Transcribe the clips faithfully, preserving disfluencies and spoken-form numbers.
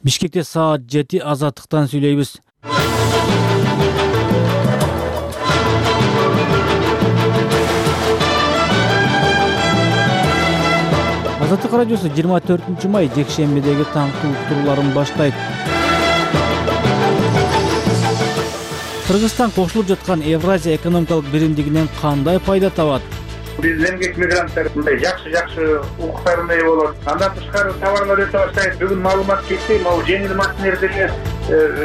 Бишкекте саат жети азаттыктан сүйлөйбүз. Азаттык радиосу жыйырма төртүнчү май жекшембидеги таңкы уктурууларын баштайт. Кыргызстан кошулуп жаткан Евразия экономикалык биримдигинен кандай пайда табат? Биз эмгек мигранттар мындай жакшы-жакшы укуктардын ээ болот. Андан тышкары товарлар өтө баштайт. Бүгүн маалымат кетти, могу жеңил машинелерге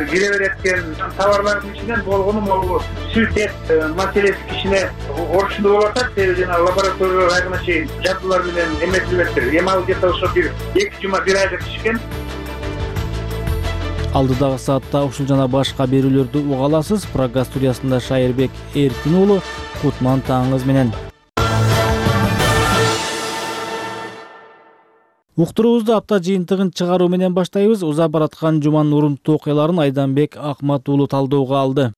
кире берет экен. Товарлардын ичинен болгону могу сүт эт маселеси кичине орчундуу болуп атат. Себеби жана лаборатория айгына чейин жабдуулар менен эметилиптир. Эми ал где-то ошо бир эки жума бир айга түшкөн. Алдыдагы саатта ушул жана башка берүүлөрдү уга аласыз. Прогаз студиясында Шайырбек Эркин уулу, Кутман таңыңыз менен. Уктуруубузду апта жыйынтыгын чыгаруу менен баштайбыз. Узап бараткан жуманын урунттуу окуяларын Айданбек Акмат уулу талдоого алды.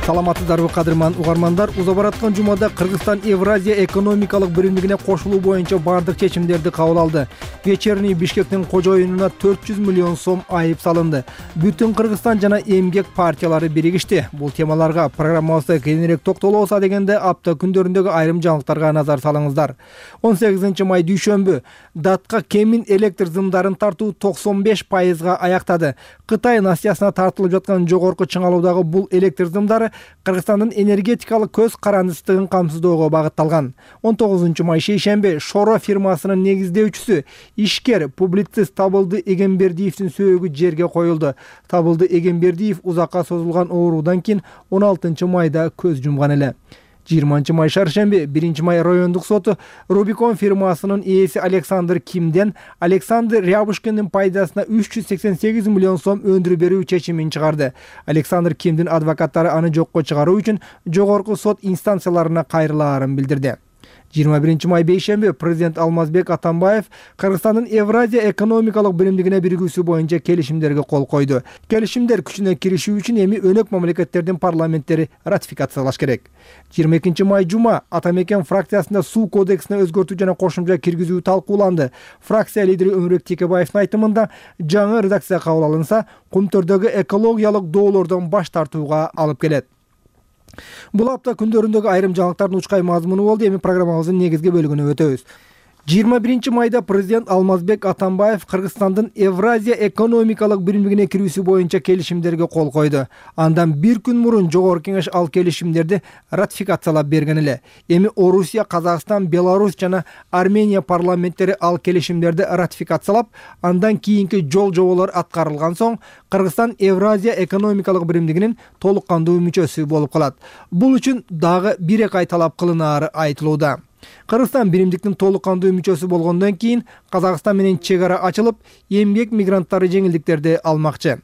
Саламатсыздарбы кадырман угармандар, уза бараткан жумада Кыргызстан Евразия экономикалык биримдигине кошулуу боюнча бардык чечимдерди кабыл алды. Вечерний Бишкектин кожоюнуна төрт жүз миллион сом айып салынды. Бүтүн Кыргызстан жана эмгек партиялары биригишти. Бул темаларга программабызда кененирээк токтолобуза дегенде апта күндөрүндөгү айрым жаңылыктарга назар салыңыздар. он сегизинчи май дүйшөмбү датка кемин электр зымдарын тартуу токсон беш пайызга аяктады. Кытай Насиясына тартылып жаткан жогорку чыңалуудагы бул электр зымдары Кыргызстандын энергетикалык көз карандысыздыгын камсыздоого багытталган. он тогузунчу май шейшемби Шоро фирмасынын негиздөөчүсү, ишкер, публицист Табылды Эгембердиевдин сөөгү жерге коюлду. Табылды Эгембердиев узакка созулган оорудан кийин он алтынчы майда көз жумган эле. жыйырманчы май шаршемби биринчи май райондук соту Рубикон фирмасынын ээси Александр Кимден Александр Рябушкиндин пайдасына үч жүз сексен сегиз миллион сом өндүрүп берүү чечимин чыгарды. Александр Кимдин адвокаттары аны жокко чыгаруу үчүн жогорку сот инстанцияларына кайрылаарын билдирди. жыйырма биринчи май бейшемби президент Алмазбек Атамбаев Кыргызстандын Евразия экономикалык биримдигине биригүүсү боюнча келишимдерге кол койду. Келишимдер күчүнө киришүү үчүн эми өнөк мамлекеттердин парламенттери ратификациялаш керек. жыйырма экинчи май жума Атамекен фракциясында суу кодексине өзгөртүү жана кошумча киргизүү талкууланды. Фракция лидери Өмүрбек Текебаевдин айтымында жаңы редакция кабыл алынса, Кумтөрдөгү экологиялык доолордон баш тартууга алып келет. Бул апта күндөрүндөгү айрым жаңылыктардын учкай мазмуну болду. Эми программабыздын негизги бөлүгүнө өтөбүз. жыйырма биринчи майда президент Алмазбек Атамбаев Кыргызстандын Евразия экономикалык биримдигине кирүүсү боюнча келишимдерге кол койду. Андан бир күн мурун жогорку кеңеш ал келишимдерди ратификациялап берген эле. Эми Орусия, Казакстан, Беларусь жана Армения парламенттери ал келишимдерди ратификациялап, андан кийинки жол жоболор аткарылган соң Кыргызстан Евразия экономикалык биримдигинин толук кандуу мүчөсү болуп калат. Бул үчүн дагы бир эки ай талап кылынаары айтылууда. Кыргызстан биримдиктин толук кандуу мүчөсү болгондон кийин Казакстан менен чек ара ачылып, эмгек мигранттары жеңилдиктерди алмакчы.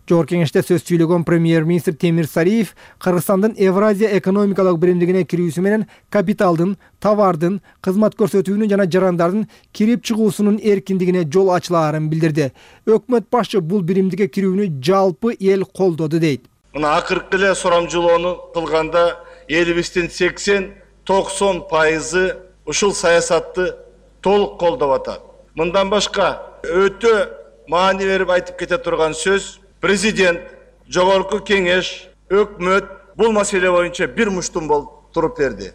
Жогорку кеңеште сөз сүйлөгөн премьер-министр Темир Сариев Кыргызстандын Евразия экономикалык биримдигине кирүүсү менен капиталдын, товардын, кызмат көрсөтүүнүн жана жарандардын кирип чыгуусунун эркиндигине жол ачылаарын билдирди. Өкмөт башчы бул биримдикке кирүүнү жалпы эл колдоду дейт. Мына акыркы эле сурамжылоону кылганда элибиздин сексен токсон пайызы ушул саясатты толук колдоп атат. Мындан башка өтө маани берип айтып кете турган сөз, президент, жогорку кеңеш, өкмөт бул маселе боюнча бир муштум болуп туруп берди.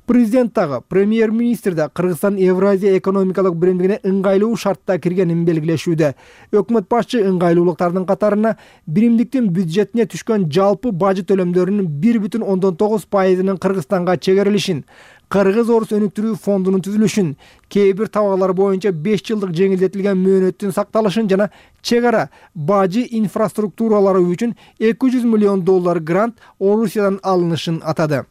Президент дагы, премьер-министр да Кыргызстан Евразия экономикалык биримдигине ыңгайлуу шартта киргенин белгилешүүдө. Өкмөт башчы ыңгайлуулуктардын катарына биримдиктин бюджетине түшкөн жалпы бажы төлөмдөрүнүн бир бүтүн ондон тогуз пайызынын Кыргызстанга чегерилишин, Кыргыз-Орус өнүктүрүү фондунун түзүлүшүн, кээ бир товарлар боюнча беш жылдык жеңилдетилген мөөнөттүн сакталышын жана чек ара бажы инфраструктуралары үчүн эки жүз миллион доллар грант Орусиядан алынышын атады.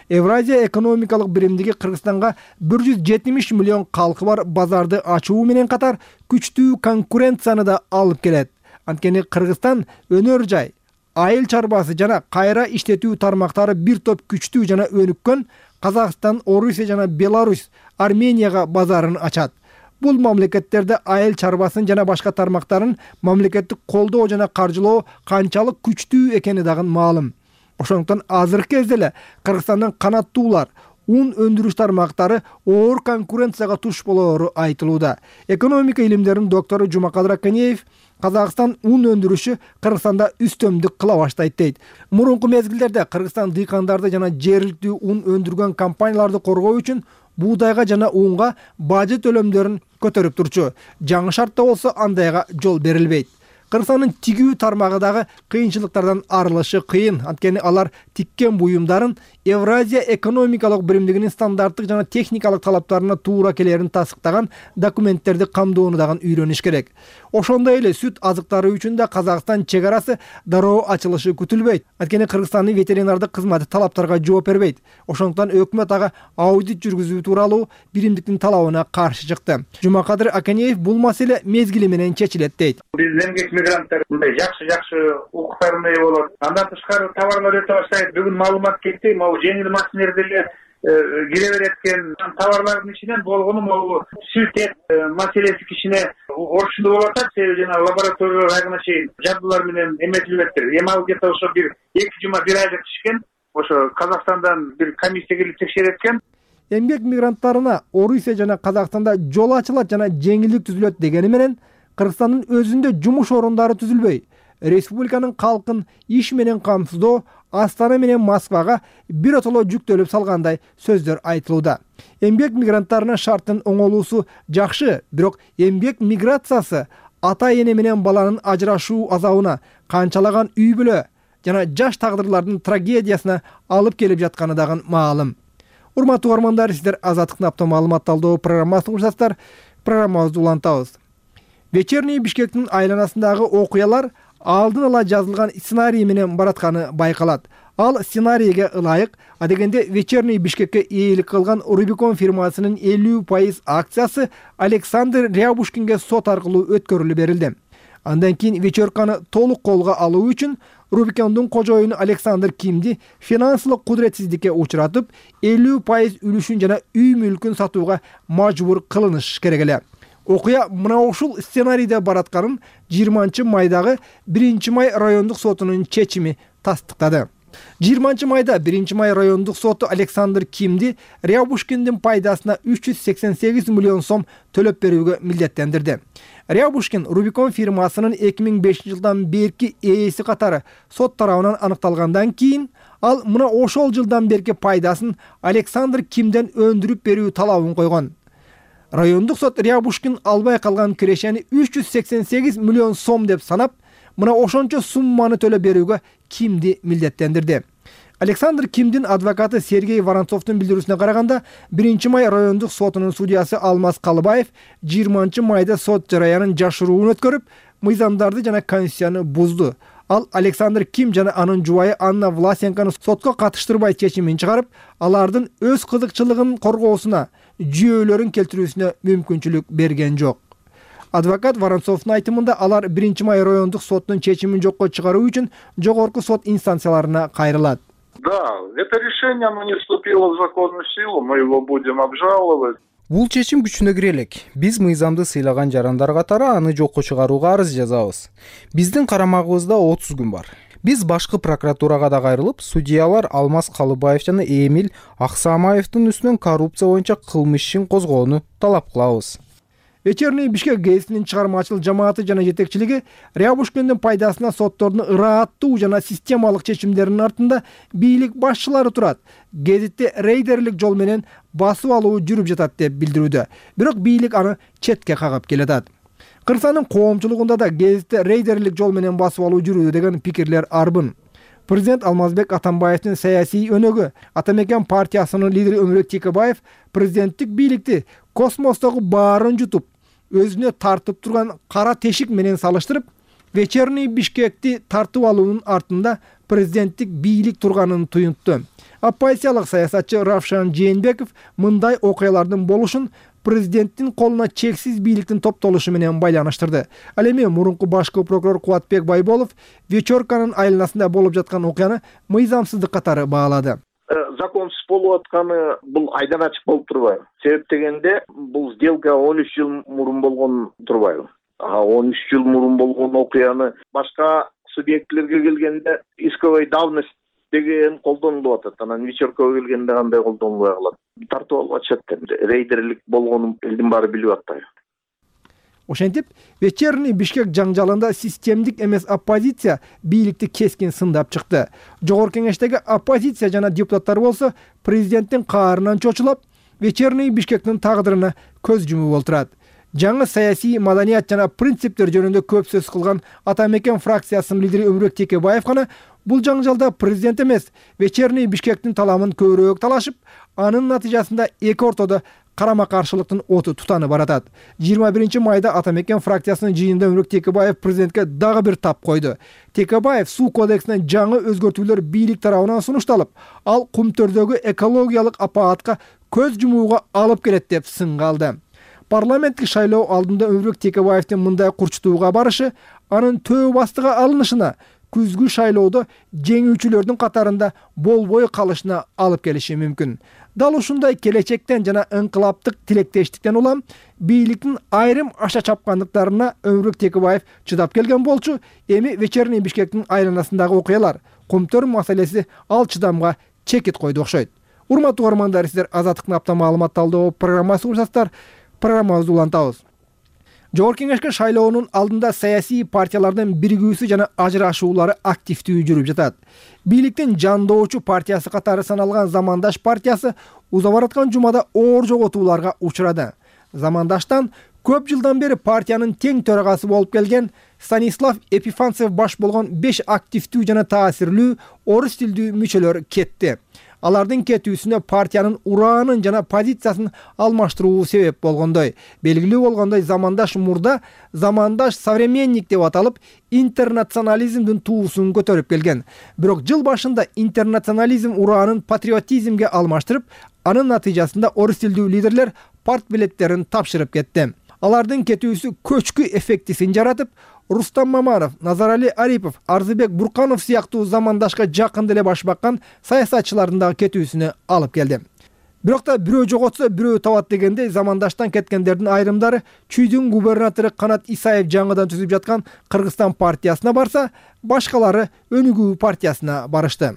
Евразия экономикалык биримдиги Кыргызстанга бир жүз жетимиш миллион калкы бар базарды ачуу менен катар күчтүү конкуренцияны да алып келет. Анткени Кыргызстан өнөр жай, айыл чарбасы жана кайра иштетүү тармактары бир топ күчтүү жана өнүккөн Казакстан, Орусия жана Беларусь Арменияга базарын ачат. Бул мамлекеттерде айыл чарбасын жана башка тармактарын мамлекеттик колдоо жана каржылоо канчалык күчтүү экени дагы маалым. Ошондуктан азыркы кезде эле Кыргызстандын канаттуулар, ун өндүрүш тармактары оор конкуренцияга туш болоору айтылууда. Экономика илимдеринин доктору Жумакадыр Аканеев Казакстан ун өндүрүшү Кыргызстанда үстөмдүк кыла баштайт дейт. Мурунку мезгилдерде Кыргызстан дыйкандарды жана жергиликтүү ун өндүргөн компанияларды коргоо үчүн буудайга жана унга бажы төлөмдөрүн көтөрүп турчу. Жаңы шартта болсо андайга жол берилбейт. Кыргызстандын тигүү тармагы дагы кыйынчылыктардан арылышы кыйын. Анткени алар тиккен буюмдарын Евразия экономикалык биримдигинин стандарттык жана техникалык талаптарына туура келерин тасыктаган документтерди камдоону дагы үйрөнүш керек. Ошондой эле сүт азыктары үчүн да Казакстан чек арасы дароо ачылышы күтүлбөйт. Анткени Кыргызстандын ветеринардык кызматы талаптарга жооп бербейт. Ошондуктан өкмөт ага аудит жүргүзүү тууралуу биримдиктин талабына каршы чыкты. Жумакадыр Аканеев бул маселе мезгили менен чечилет дейт. Биздин эмгек мигранттар мындай жакшы-жакшы укуктарына ээ болот. Андан тышкары товарлар өтө баштайт. Бүгүн маалымат кетти, могу жеңил машинелерде кире берет экен. Товарлардын ичинен болгону могу сүт эт маселеси кичине орчундуу болуп атат. Себеби жана лаборатория района чейин жабдуулар менен эметилиптир. Эми ал где-то ошо бир эки жума бир айга түшкөн. Ошо Казакстандан бир комиссия келип текшерет экен. Эмгек мигранттарына Орусия жана Казакстанда жол ачылат жана жеңилдик түзүлөт дегени менен Кыргызстандын өзүндө жумуш орундары түзүлбөй, республиканын калкын иш менен камсыздоо Астана менен Москвага бир отоло жүктөлүп салгандай сөздөр айтылууда. Эмгек мигранттарынын шарттын оңолуусу жакшы, бирок эмгек миграциясы ата-эне менен баланын ажырашуу азабына, канчалаган үй бүлө жана жаш тагдырлардын трагедиясына алып келип жатканы дагы маалым. Урматтуу угармандар, сиздер Азаттыктын апта маалымат талдоо программасын угушасыздар. Программабызды улантабыз. Вечерний Бишкектин айланасындагы окуялар алдын ала жазылган сценарий менен баратканы байкалат. Ал сценарийге ылайык, адегенде Вечерний Бишкекке ээлик кылган Рубикон фирмасынын элүү пайыз акциясы Александр Рябушкинге сот аркылуу өткөрүлүп берилди. Андан кийин вечерканы толук колго алуу үчүн Рубикондун кожоюну Александр Кимди финансылык кудуретсиздикке учуратып, элүү пайыз үлүшүн жана үй мүлкүн сатууга мажбур кылыныш керек эле. Окуя мына ушул сценарийде баратканын жыйырманчы майдагы биринчи май райондук сотунун чечими тастыктады. жыйырманчы майда биринчи май райондук соту Александр Кимди Рябушкиндин пайдасына үч жүз сексен сегиз миллион сом төлөп берүүгө милдеттендирди. Рябушкин Рубикон фирмасынын эки миң бешинчи жылдан берки ээси катары сот тарабынан аныкталгандан кийин ал мына ошол жылдан берки пайдасын Александр Кимден өндүрүп берүү талабын койгон. Райондук сот Рябушкин албай калган кирешени үч жүз сексен сегиз миллион сом деп санап, мына ошончо сумманы төлөп берүүгө Кимди милдеттендирди. Александр Кимдин адвокаты Сергей Воронцовдун билдирүүсүнө караганда, биринчи май райондук сотунун судьясы Алмаз Калыбаев жыйырманчы майда сот жараянын жашыруун өткөрүп, мыйзамдарды жана конституцияны бузду. Ал Александр Ким жана анын жубайы Анна Власенканы сотко катыштырбай чечимин чыгарып, алардын өз кызыкчылыгын коргоосуна, жүйөлөрүн келтирүүсүнө мүмкүнчүлүк берген жок. Адвокат Воронцовдун айтымында алар биринчи май райондук соттун чечимин жокко чыгаруу үчүн жогорку сот инстанцияларына кайрылат. Да, это решение, оно не вступило в законную силу, мы его будем обжаловать. Бул чечим күчүнө кире элек. Биз мыйзамды сыйлаган жарандар катары аны жокко чыгарууга арыз жазабыз. Биздин карамагыбызда отуз күн бар. Биз башкы прокуратурага да кайрылып, судьялар Алмаз Калыбаев жана Эмиль Аксамаевдин үстүнөн коррупция боюнча кылмыш ишин козгоону талап кылабыз. Вечерний Бишкек гезитинин чыгармачыл жамааты жана жетекчилиги Рябушкиндин пайдасына соттордун ырааттуу жана системалык чечимдеринин артында бийлик башчылары турат. Гезитте рейдерлик жол менен басып алуу жүрүп жатат деп билдирүүдө. Бирок бийлик аны четке кагып келатат. Кыргызстандын коомчулугунда да гезитте рейдерлик жол менен басып алуу жүрүүдө деген пикирлер арбын. Президент Алмазбек Атамбаевдин саясий өнөгү, Атамекен партиясынын лидери Өмүрөк Текебаев президенттик бийликти космостогу баарын жутуп, өзүнө тартып турган кара тешик менен салыштырып, Вечерний Бишкекти тартып алуунун артында президенттик бийлик турганын туюнтту. Оппозициялык саясатчы Равшан Жээнбеков мындай окуялардын болушун президенттин колуна чексиз бийликтин топтолушу менен байланыштырды. Ал эми мурунку башкы прокурор Кубатбек Байболов вечерканын айланасында болуп жаткан окуяны мыйзамсыздык катары баалады. законсуз болуп атканы бул айдан ачык болуп турбайбы? Себеп дегенде бул сделка он үч жыл мурун болгон турбайбы? А он үч жыл мурун болгон окуяны башка субъектилерге келгенде исковой давность деген колдонулуп атат. Анан вечеркага келгенде кандай колдонулбай калат? Тартып алып атышат. Рейдерлик болгонун элдин баары билип атпайбы? Ошентип, вечерний Бишкек жаңжалында системдик эмес оппозиция бийликти кескин сындап чыкты. Жогорку кеңештеги оппозиция жана депутаттар болсо президенттин каарынан чочулап, вечерний Бишкектин тагдырына көз жумуп олтурат. Жаңы саясий маданият жана принциптер жөнүндө көп сөз кылган Атамекен фракциясынын лидери Өмүрбек Текебаев гана бул жаңжалда президент эмес, вечерний Бишкектин таламын көбүрөөк талашып, анын натыйжасында эки ортодо карама каршылыктын оту тутанып баратат. жыйырма биринчи майда Атамекен фракциясынын жыйынында Өмүрбек Текебаев президентке дагы бир тап койду. Текебаев суу кодексине жаңы өзгөртүүлөр бийлик тарабынан сунушталып, ал кумтөрдөгү экологиялык апаатка көз жумууга алып келет деп сынга алды. Парламенттик шайлоо алдында Өмүрбек Текебаевдин мындай курчутууга барышы анын төө бастыга алынышына, күзгү шайлоодо жеңүүчүлөрдүн катарында болбой калышына алып келиши мүмкүн. Дал ушундай келечектен жана ыңкылаптык тилектештиктен улам бийликтин айрым аша чапкандыктарына Өмүрбек Текебаев чыдап келген болчу. Эми вечерний Бишкектин айланасындагы окуялар, кумтөр маселеси ал чыдамга чекит койду окшойт. Урматтуу угармандар, сиздер Азаттыктын апта маалымат талдоо программасы урсаңыздар, программабызды улантабыз. Жогорку кеңешке шайлоонун алдында саясий партиялардын биригүүсү жана ажырашуулары активдүү жүрүп жатат. Бийликтин жандоочу партиясы катары саналган Замандаш партиясы уза бараткан жумада оор жоготууларга учурады. Замандаштан көп жылдан бери партиянын тең төрагасы болуп келген Станислав Епифанцев баш болгон беш активдүү жана таасирлүү орус тилдүү мүчөлөр кетти. Алардын кетүүсүнө партиянын ураанын жана позициясын алмаштыруу себеп болгондой. Белгилүү болгондой, Замандаш мурда Замандаш современник деп аталып, интернационализмдин туусун көтөрүп келген. Бирок жыл башында интернационализм ураанын патриотизмге алмаштырып, анын натыйжасында орус тилдүү лидерлер парт билеттерин тапшырып кетти. Алардын кетүүсү көчкү эффектисин жаратып, Рустам Мамаров, Назарали Арипов, Арзыбек Бурканов сыяктуу Замандашка жакын деле баш баккан саясатчылардын дагы кетүүсүнө алып келди. Бирок да бирөө жоготсо бирөө табат дегендей, Замандаштан кеткендердин айрымдары Чүйдүн губернатору Канат Исаев жаңыдан түзүп жаткан Кыргызстан партиясына барса, башкалары Өнүгүү партиясына барышты.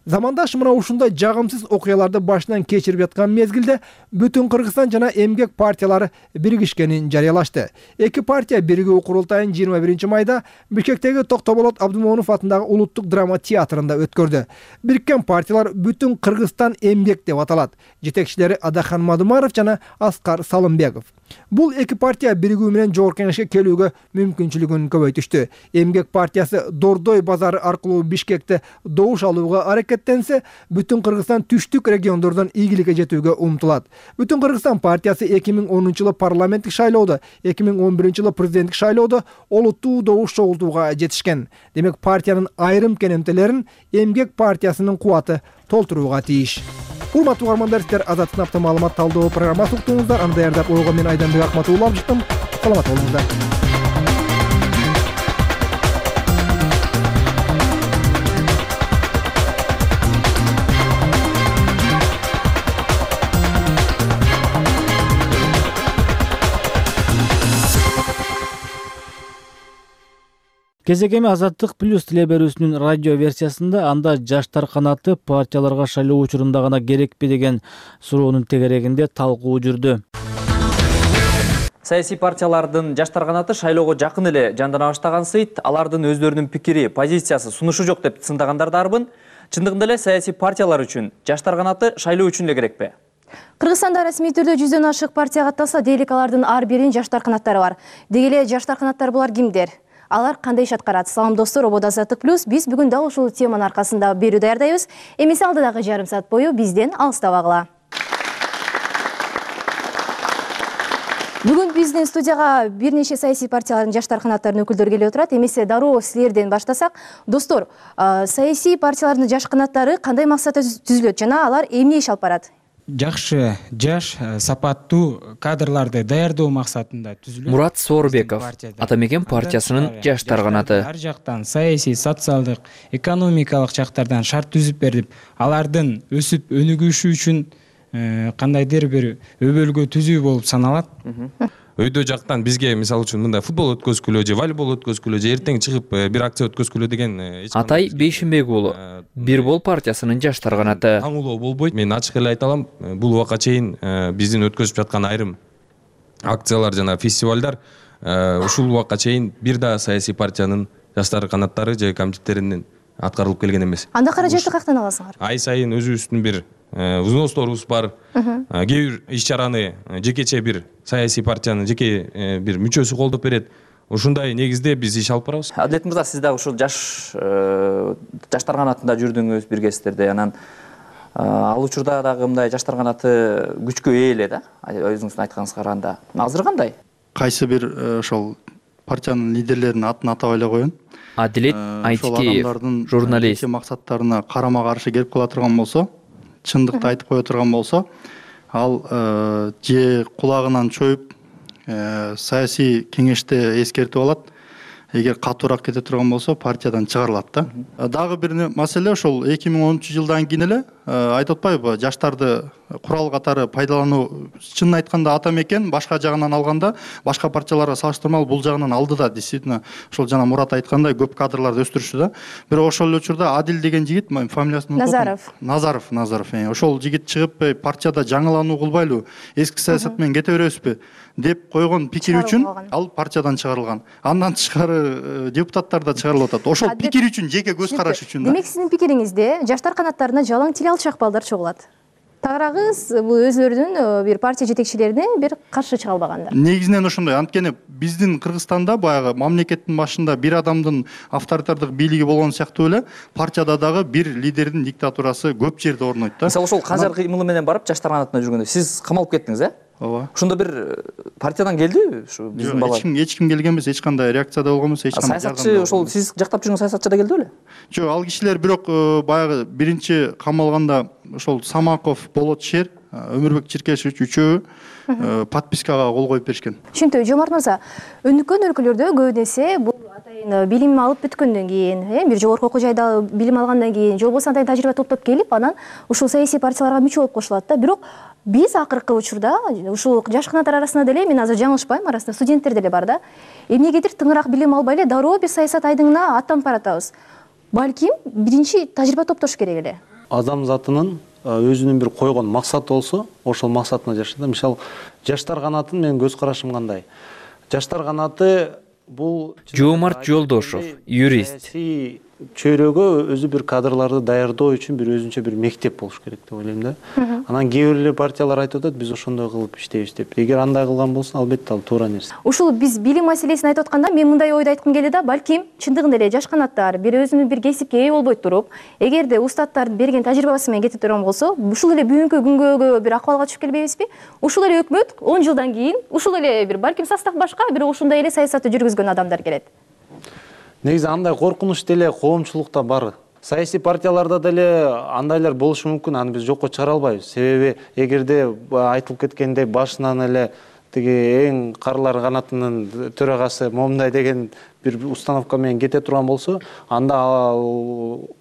Замандаш мына ушундай жагымсыз окуяларды башынан кечирип жаткан мезгилде бүтүн Кыргызстан жана эмгек партиялары биригишкенин жарыялашты. Эки партия биригүү курултайын жыйырма биринчи майда Бишкектеги Токтоболот Абдымомунов атындагы Улуттук драма театрында өткөрдү. Бириккен партиялар Бүтүн Кыргызстан эмгек деп аталат. Жетекчилери Адахан Мадумаров жана Аскар Салымбеков. Бул эки партия биригүү менен жогорку кеңешке келүүгө мүмкүнчүлүгүн көбөйтүштү. Эмгек партиясы Дордой базары аркылуу Бишкекте добуш алууга аракеттенсе, Бүтүн Кыргызстан түштүк региондордон ийгиликке жетүүгө умтулат. Бүтүн Кыргызстан партиясы эки миң онунчу жылы парламенттик шайлоодо, эки миң он биринчи жылы президенттик шайлоодо олуттуу добуш чогултууга жетишкен. Демек партиянын айрым кенемтелерин Эмгек партиясынын кубаты толтурууга тийиш. Урматтуу угармандар, сиздер Азаттыктын апта маалымат талдоо программасын уктуңуздар. Аны даярдап ойгон мен Айданбек Акматулла алып чыктым. Саламат болуңуздар. Кезегеми Азаттык плюс теле берүүсүнүн радио версиясында анда жаштар канаты партияларга шайлоо учурунда гана керекпи деген суроонун тегерегинде талкуу жүрдү. Саясий партиялардын жаштар канаты шайлоого жакын эле жандана баштаган сыйт, алардын өздөрүнүн пикири, позициясы, сунушу жок деп сындагандар дарбын. Чындыгында эле саясий партиялар үчүн жаштар канаты шайлоо үчүн эле керекпи? Кыргызстанда расмий түрдө жүздөн ашык партия катталса, дейлик алардын ар биринин жаштар канаттары бар. Деги эле жаштар канаттары булар кимдер? Алар кандай иш аткарат? Салам достор, ободо Азаттык плюс. Биз бүгүн дал ушул теманын аркасында берүү даярдайбыз. Эмесе алдыдагы жарым саат бою бизден алыстабагыла. Бүгүн биздин студияга бир нече саясий партиялардын жаштар канаттарынын өкүлдөрү келип отурат. Эмесе дароо силерден баштасак, достор, саясий партиялардын жаш канаттары кандай максатта түзүлөт жана алар эмне иш алып барат? жакшы жаш сапаттуу кадрларды даярдоо максатында түзүлөт. Мурат Соорбеков, Ата Мекен партиясынын жаштар канаты. Ар жактан саясий, социалдык, экономикалык жактардан шарт түзүп берип, алардын өсүп өнүгүшү үчүн кандайдыр бир өбөлгө түзүү болуп саналат. Өйдө жактан бизге мисалы үчүн мындай футбол өткөзгүлө же волейбол өткөзгүлө же эртең чыгып бир акция өткөзгүлө деген Атай Бейшимбек уулу, Бир бол партиясынын жаштар канаты. Таңуулоо болбойт. Мен ачык эле айта алам, бул убакка чейин биздин өткөзүп жаткан айрым акциялар жана фестивалдар ушул убакка чейин бир да саясий партиянын жаштар канаттары же комитеттеринин аткарылып келген эмес. Анда каражатты каяктан аласыңар? Ай сайын өзүбүздүн бир взносторубуз бар. Кээ бир иш-чараны жекече бир саясий партиянын жеке бир мүчөсү колдоп берет. Ушундай негизде биз иш алып барабыз. Адилет мырза, сиз дагы ушул жаш жаштар канатында жүрдүңүз, биргесиздер анан ал учурда дагы мындай жаштар канаты күчкө ээ эле да, өзүңүздүн айтканыңызга караганда. Азыр кандай? Кайсы бир ошол партиянын лидерлеринин атын атабай эле коеюн. Адилет Айтикеев, журналист. Максаттарына карама каршы келип кала турган болсо, чындыкты айтып кое турган болсо, ал же кулагынан чоюп саясий кеңеште эскертип алат. Эгер катуураак кете турган болсо, партиядан чыгарылат да. Дагы бир маселе ошол эки миң онунчу жылдан кийин эле айтып атпайбы, жаштарды курал катары пайдалануу, чынын айтканда Ата Мекен башка жагынан алганда, башка партияларга салыштырмалуу бул жагынан алды да, действительно, ошол жана Мурат айткандай көп кадрларды өстүрүштү да. Бирок ошол эле учурда Адил деген жигит, фамилиясын Назаров. Назаров, Назаров. Ошол жигит чыгып, партияда жаңылануу кылбайлы, эски саясат менен кете беребизби деп койгон пикир үчүн ал партиядан чыгарылган. Андан тышкары депутаттар да чыгарылып атат. Ошол пикир үчүн, жеке көз караш үчүн. Демек сиздин пикириңизде жаштар канаттарына жалаң тил алчак балдар чогулат. Тагыраагыз бул өзлөрүнүн бир партия жетекчилерине бир каршы чыга албагандар. Негизинен ошондой. Анткени биздин Кыргызстанда баягы мамлекеттин башында бир адамдын авторитардык бийлиги болгон сыяктуу эле партияда дагы бир лидердин диктатурасы көп жерде орнойт да. Мисалы ошол Канжар кыймылы менен барып жаштар канатына жүргөндө сиз камалып кеттиңиз, э? Ооба. Ошондо бир партиядан келдиби ушу биздин бала? Эч ким эч ким келген эмес, эч кандай реакция да болгон эмес, эч кандай. Саясатчы ошол сиз жактап жүргөн саясатчы да келди беле? Жок, ал кишилер бирок баягы биринчи камалганда ошол Самаков, Болот Шер, Өмүрбек Чиркешевич үчөө подпискага кол коюп беришкен. Түшүнтүү, Жомарт мырза, өнүккөн өлкөлөрдө көбүнесе бул атайын билим алып бүткөндөн кийин, э, бир жогорку окуу жайда билим алгандан кийин, же болбосо андай тажрыйба топтоп келип, анан ушул саясий партияларга мүчө болуп кошулат да. Бирок биз акыркы учурда ушул жаш канаттар арасында деле, мен азыр жаңылышпайм, арасында студенттер деле бар да. Эмнегедир тыңыраак билим албай эле дароо бир саясат айдыңына аттанып баратабыз. Балким биринчи тажрыйба топтош керек эле. Адам затынын өзүнүн бир койгон максаты болсо, ошол максатына жашайт. Мисалы, жаштар канатын менин көз карашым кандай? Жаштар канаты бул Жомарт Жолдошов, юрист. Чөйрөгө өзү бир кадрларды даярдоо үчүн бир өзүнчө бир мектеп болуш керек деп ойлойм да. Анан кээ бир партиялар айтып атат, биз ошондой кылып иштейбиз деп. Эгер андай кылган болсо, албетте ал туура нерсе. Ушул биз билим маселесин айтып атканда, мен мындай ойду айткым келди да, балким чындыгында эле жаш канаттар бир өзүнүн бир кесипке ээ болбой туруп, эгерде устаттардын берген тажрыйбасы менен кете турган болсо, ушул эле бүгүнкү күнгө бир акыбалга түшүп келбейбизби? Ушул эле өкмөт он жылдан кийин ушул эле бир балким состав башка, бирок ушундай эле саясатты жүргүзгөн адамдар келет. Негизи андай коркунуч деле коомчулукта бар. Саясий партияларда деле андайлар болушу мүмкүн, аны биз жокко чыгара албайбыз. Себеби эгерде айтылып кеткендей башынан эле тиги эң карлар канатынын төрагасы момундай деген бир установка менен кете турган болсо, анда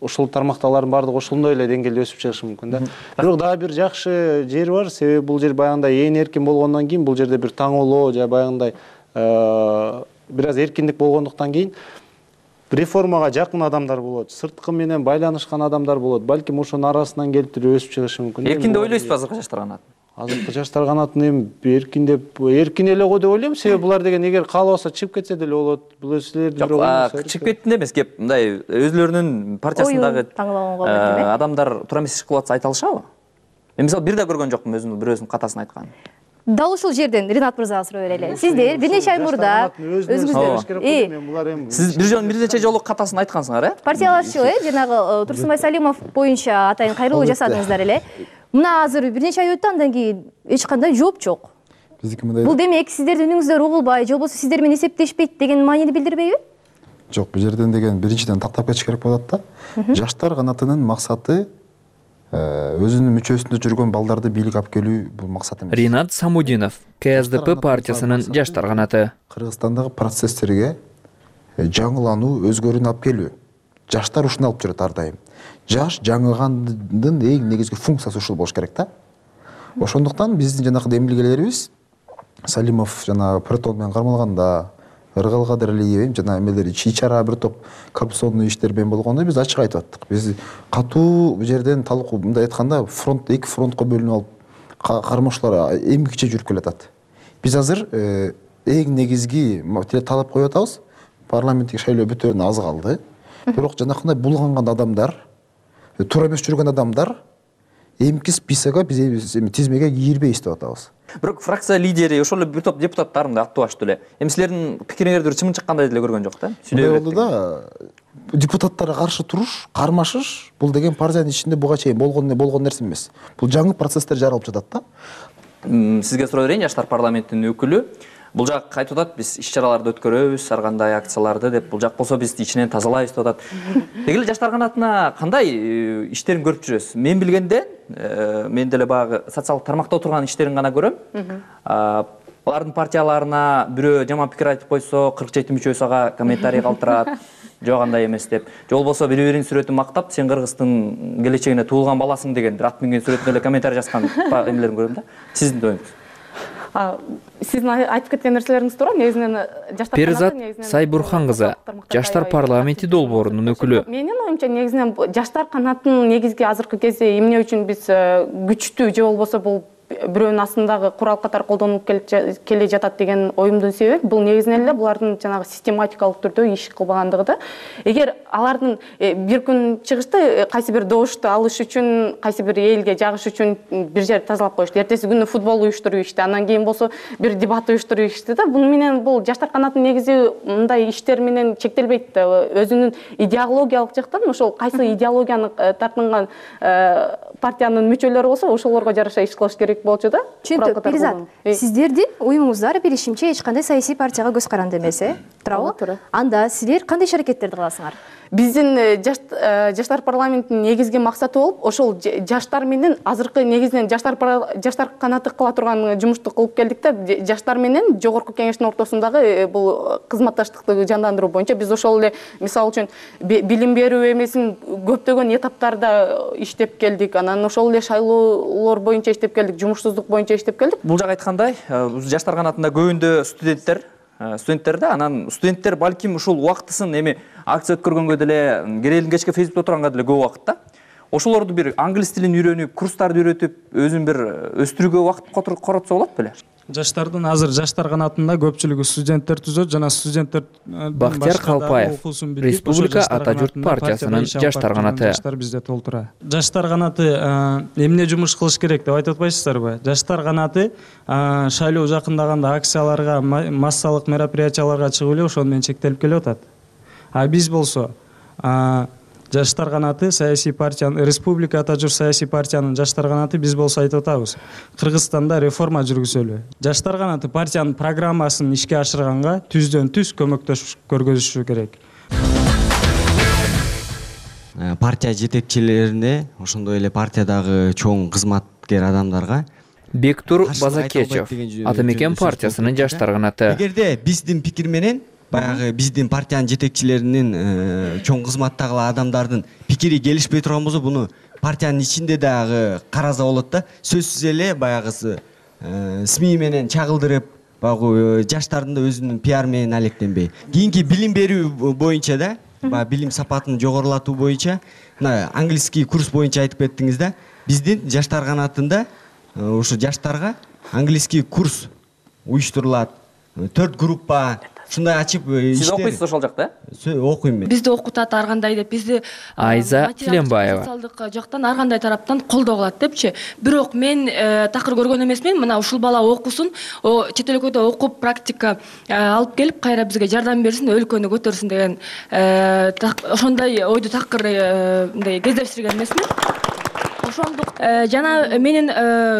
ошол тармакталардын баардыгы ошондой эле деңгээлде өсүп чыгышы мүмкүн да. Бирок дагы бир жакшы жери бар, себеби бул жер баягындай ээн эркин болгондон кийин, бул жерде бир таңоолоо же баягындай бир аз эркиндик болгондуктан кийин реформага жакын адамдар болот, сырткы менен байланышкан адамдар болот. Балким ошонун арасынан келип туруп өсүп чыгышы мүмкүн. Эркин деп ойлойсузбу азыркы жаштар канатын? Азыркы жаштар канатын эми эркин деп, эркин эле го деп ойлойм. Себеби булар деген эгер каалабаса чыгып кетсе деле болот. Бул силердин бирок чыгып кеттин эмес, кеп мындай өзлөрүнүн партиясындагы адамдар туура эмес иш кылып атса айта алышабы? Мен мисалы бир да көргөн жокмун өзүмдүн бирөөсүнүн катасын айтканын. Дал ушул жерден Ринат мырзага суроо берели. Сиздер бир нече ай мурда өзүңүздөр сиз бир жолу бир нече жолу катасын айткансыңар, э? Партиялашчу, э, жанагы Турсунбай Салимов боюнча атайын кайрылуу жасадыңыздар эле. Мына азыр бир нече ай өттү, андан кийин эч кандай жооп жок. Бул демек сиздердин үнүңүздөр угулбай, же болбосо сиздер менен эсептешпейт деген маанини билдирбейби? Жок, бул жерден деген биринчиден тактап кетиш керек болот да. Жаштар канатынын максаты өзүнүн мүчөсүндө жүргөн балдарды бийликке алып келүү бул максат эмес. Ринат Самудинов, К С Д П партиясынын жаштар канаты. Кыргызстандагы процесстерге жаңылануу, өзгөрүүнү алып келүү. Жаштар ушуну алып жүрөт ар дайым. Жаш жаңылгандын эң негизги функциясы ушул болуш керек да. Ошондуктан биздин жанагы демилгелерибиз Салимов жана Протон менен кармалганда, Ыргал Кадырлиев жана эмелер ичи-чара бир топ коррупционный иштер менен болгондо биз ачык айтып аттык. Биз катуу бул жерден талкуу мындай айтканда фронт эки фронтко бөлүнүп алып кармоочулар эмгиче жүрүп келатат. Биз азыр эң негизги талап коюп атабыз. Парламенттик шайлоо бүтөөнүнө аз калды. Бирок жанакындай булганган адамдар, туура эмес жүргөн адамдар эмки списокко биз тизмеге кирбейбиз деп атабыз. Бирок фракция лидери ошол эле бир топ депутаттарын да аттыбаштуу эле. Эми силердин пикириңерди чымын чыккандай деле көргөн жок да. Сүйлөп болду да. Депутаттарга каршы туруш, кармашыш бул деген партиянын ичинде буга чейин болгон болгон нерсе эмес. Бул жаңы процесстер жаралып жатат да. Сизге суроо берейин, жаштар парламентинин өкүлү. Бул жак айтып атат, биз иш-чараларды өткөрөбүз, ар кандай акцияларды деп, бул жак болсо биз ичинен тазалайбыз деп атат. Деги эле жаштар канатына кандай иштерин көрүп жүрөсүз? Мен билгенде, мен деле баягы социалдык тармакта отурган иштерин гана көрөм. Алардын партияларына бирөө жаман пикир айтып койсо, кырк жети мүчөсү ага комментарий калтырат. Жок андай эмес деп. Же болбосо бири-биринин сүрөтүн мактап, сен Кыргыздын келечегине туулган баласың деген бир ат минген сүрөтүнө эле комментарий жазган эмелерин көрөм да. Сиздин оюңуз? Сиздин айтып кеткен нерселериңиз туура. Негизинен жаштар Перизат Сайбурхан кызы, жаштар парламенти долбоорунун өкүлү. Менин оюмча негизинен жаштар канатынын негизги азыркы кезде эмне үчүн биз күчтүү же болбосо бул бирөөнүн астындагы курал катары колдонулуп келе жатат деген оюмдун себеби бул негизинен эле булардын жанагы систематикалык түрдө иш кылбагандыгы да. Эгер алардын бир күн чыгышты кайсы бир добушту алыш үчүн, кайсы бир элге жагыш үчүн бир жерди тазалап коюшту, эртеси күнү футбол уюштуруп ишти, андан кийин болсо бир дебат уюштуруп ишти да. Буну менен бул жаштар канатынын негизи мындай иштер менен чектелбейт да. Өзүнүн идеологиялык жактан ошол кайсы идеологияны тартынган партиянын мүчөлөрү болсо ошолорго жараша иш кылыш керек болчу да. Түшүнүктүү. Перизат, сиздердин уюмуңуздар билишимче эч кандай саясий партияга көз каранды эмес, э? Туурабы? Анда силер кандай иш аракеттерди кыласыңар? Биздин жаштар парламентинин негизги максаты болуп, ошол жаштар менен азыркы негизинен жаштар жаштар канаты кыла турган жумушту кылып келдик да. Жаштар менен жогорку кеңештин ортосундагы бул кызматташтыкты жандандыруу боюнча биз ошол эле мисалы үчүн билим берүү эмесин көптөгөн этаптарда иштеп келдик. Анан ошол эле шайлоолор боюнча иштеп келдик, жумушсуздук боюнча иштеп келдик. Бул жак айткандай, жаштар канатында көбүндө студенттер студенттер да, анан студенттер балким ушул убактысын эми акция өткөргөнгө деле, керелин кечке Фейсбукта отурганга деле көп убакыт да. Ошолорду бир англис тилин үйрөнүп, курстарды үйрөтүп, өзүн бир өстүрүүгө убакыт коротсо болот беле? Жаштардын азыр жаштар канатында көпчүлүгү студенттер түзөт жана студенттер Бактияр Калпаев, Республика Ата журт партиясынын жаштар канаты. Жаштар бизде толтура. Жаштар канаты эмне жумуш кылыш керек деп айтып атпайсыздарбы? Жаштар канаты шайлоо жакындаганда акцияларга, массалык мероприятияларга чыгып эле ошону менен чектелип келип атат. А биз болсо жаштар канаты саясий партиянын, Республика Ата журт саясий партиянын жаштар канаты биз болсо айтып атабыз. Кыргызстанда реформа жүргүзөлү. Жаштар канаты партиянын программасын ишке ашырганга түздөн түз көмөктөш көргөзүшү керек. Партия жетекчилерине, ошондой эле партиядагы чоң кызматкер адамдарга Бектур Базакечев, Ата Мекен партиясынын жаштар канаты. Эгерде биздин пикир менен баягы биздин партиянын жетекчилеринин чоң кызматтагы адамдардын пикири келишпей турган болсо, буну партиянын ичинде дагы караса болот да. Сөзсүз эле баягысы СМИ менен чагылдырып, баягы жаштардын да өзүнүн пиар менен алектенбей. Кийинки билим берүү боюнча да, баягы билим сапатын жогорулатуу боюнча, мына английский курс боюнча айтып кеттиңиз да. Биздин жаштар канатында ушу жаштарга английский курс уюштурулат. Төрт группа ушундай ачып иштер. Сиз окуйсуз ошол жакта, э? Окуйм мен. Бизди окутат ар кандай деп, бизди Айза Тиленбаева, социалдык жактан ар кандай тараптан колдоо кылат депчи. Бирок мен такыр көргөн эмесмин. Мына ушул бала окусун, чет өлкөдө окуп практика алып келип кайра бизге жардам берсин, өлкөнү көтөрсүн деген ошондой ойду такыр мындай кездештирген эмесмин. ошондук жана менин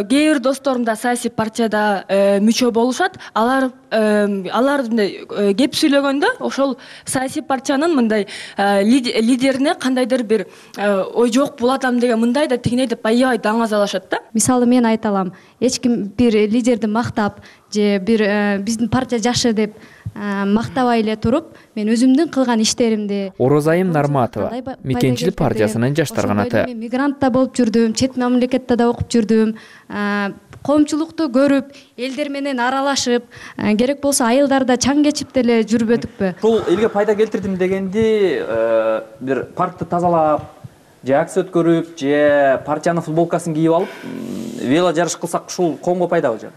кээ бир досторум да саясий партияда мүчө болушат. Алар алар мындай кеп сүйлөгөндө ошол саясий партиянын мындай лидерине кандайдыр бир ой жок бул адам деген мындай да тигине деп аябай даңазалашат да. Мисалы мен айта алам, эч ким бир лидерди мактап же бир биздин партия жакшы деп мактабай эле туруп, мен өзүмдүн кылган иштеримди. Орозайым Нарматова, Мекенчилик партиясынын жаштар канаты. Мен мигрантта болуп жүрдүм, чет мамлекетте да окуп жүрдүм. Коомчулукту көрүп, элдер менен аралашып, керек болсо айылдарда чаң кечип деле жүрбөдүкпү. Бул элге пайда келтирдим дегенди бир паркты тазалап, же акция өткөрүп, же партиянын футболкасын кийип алып, вело жарыш кылсак ушул коомго пайдабы же?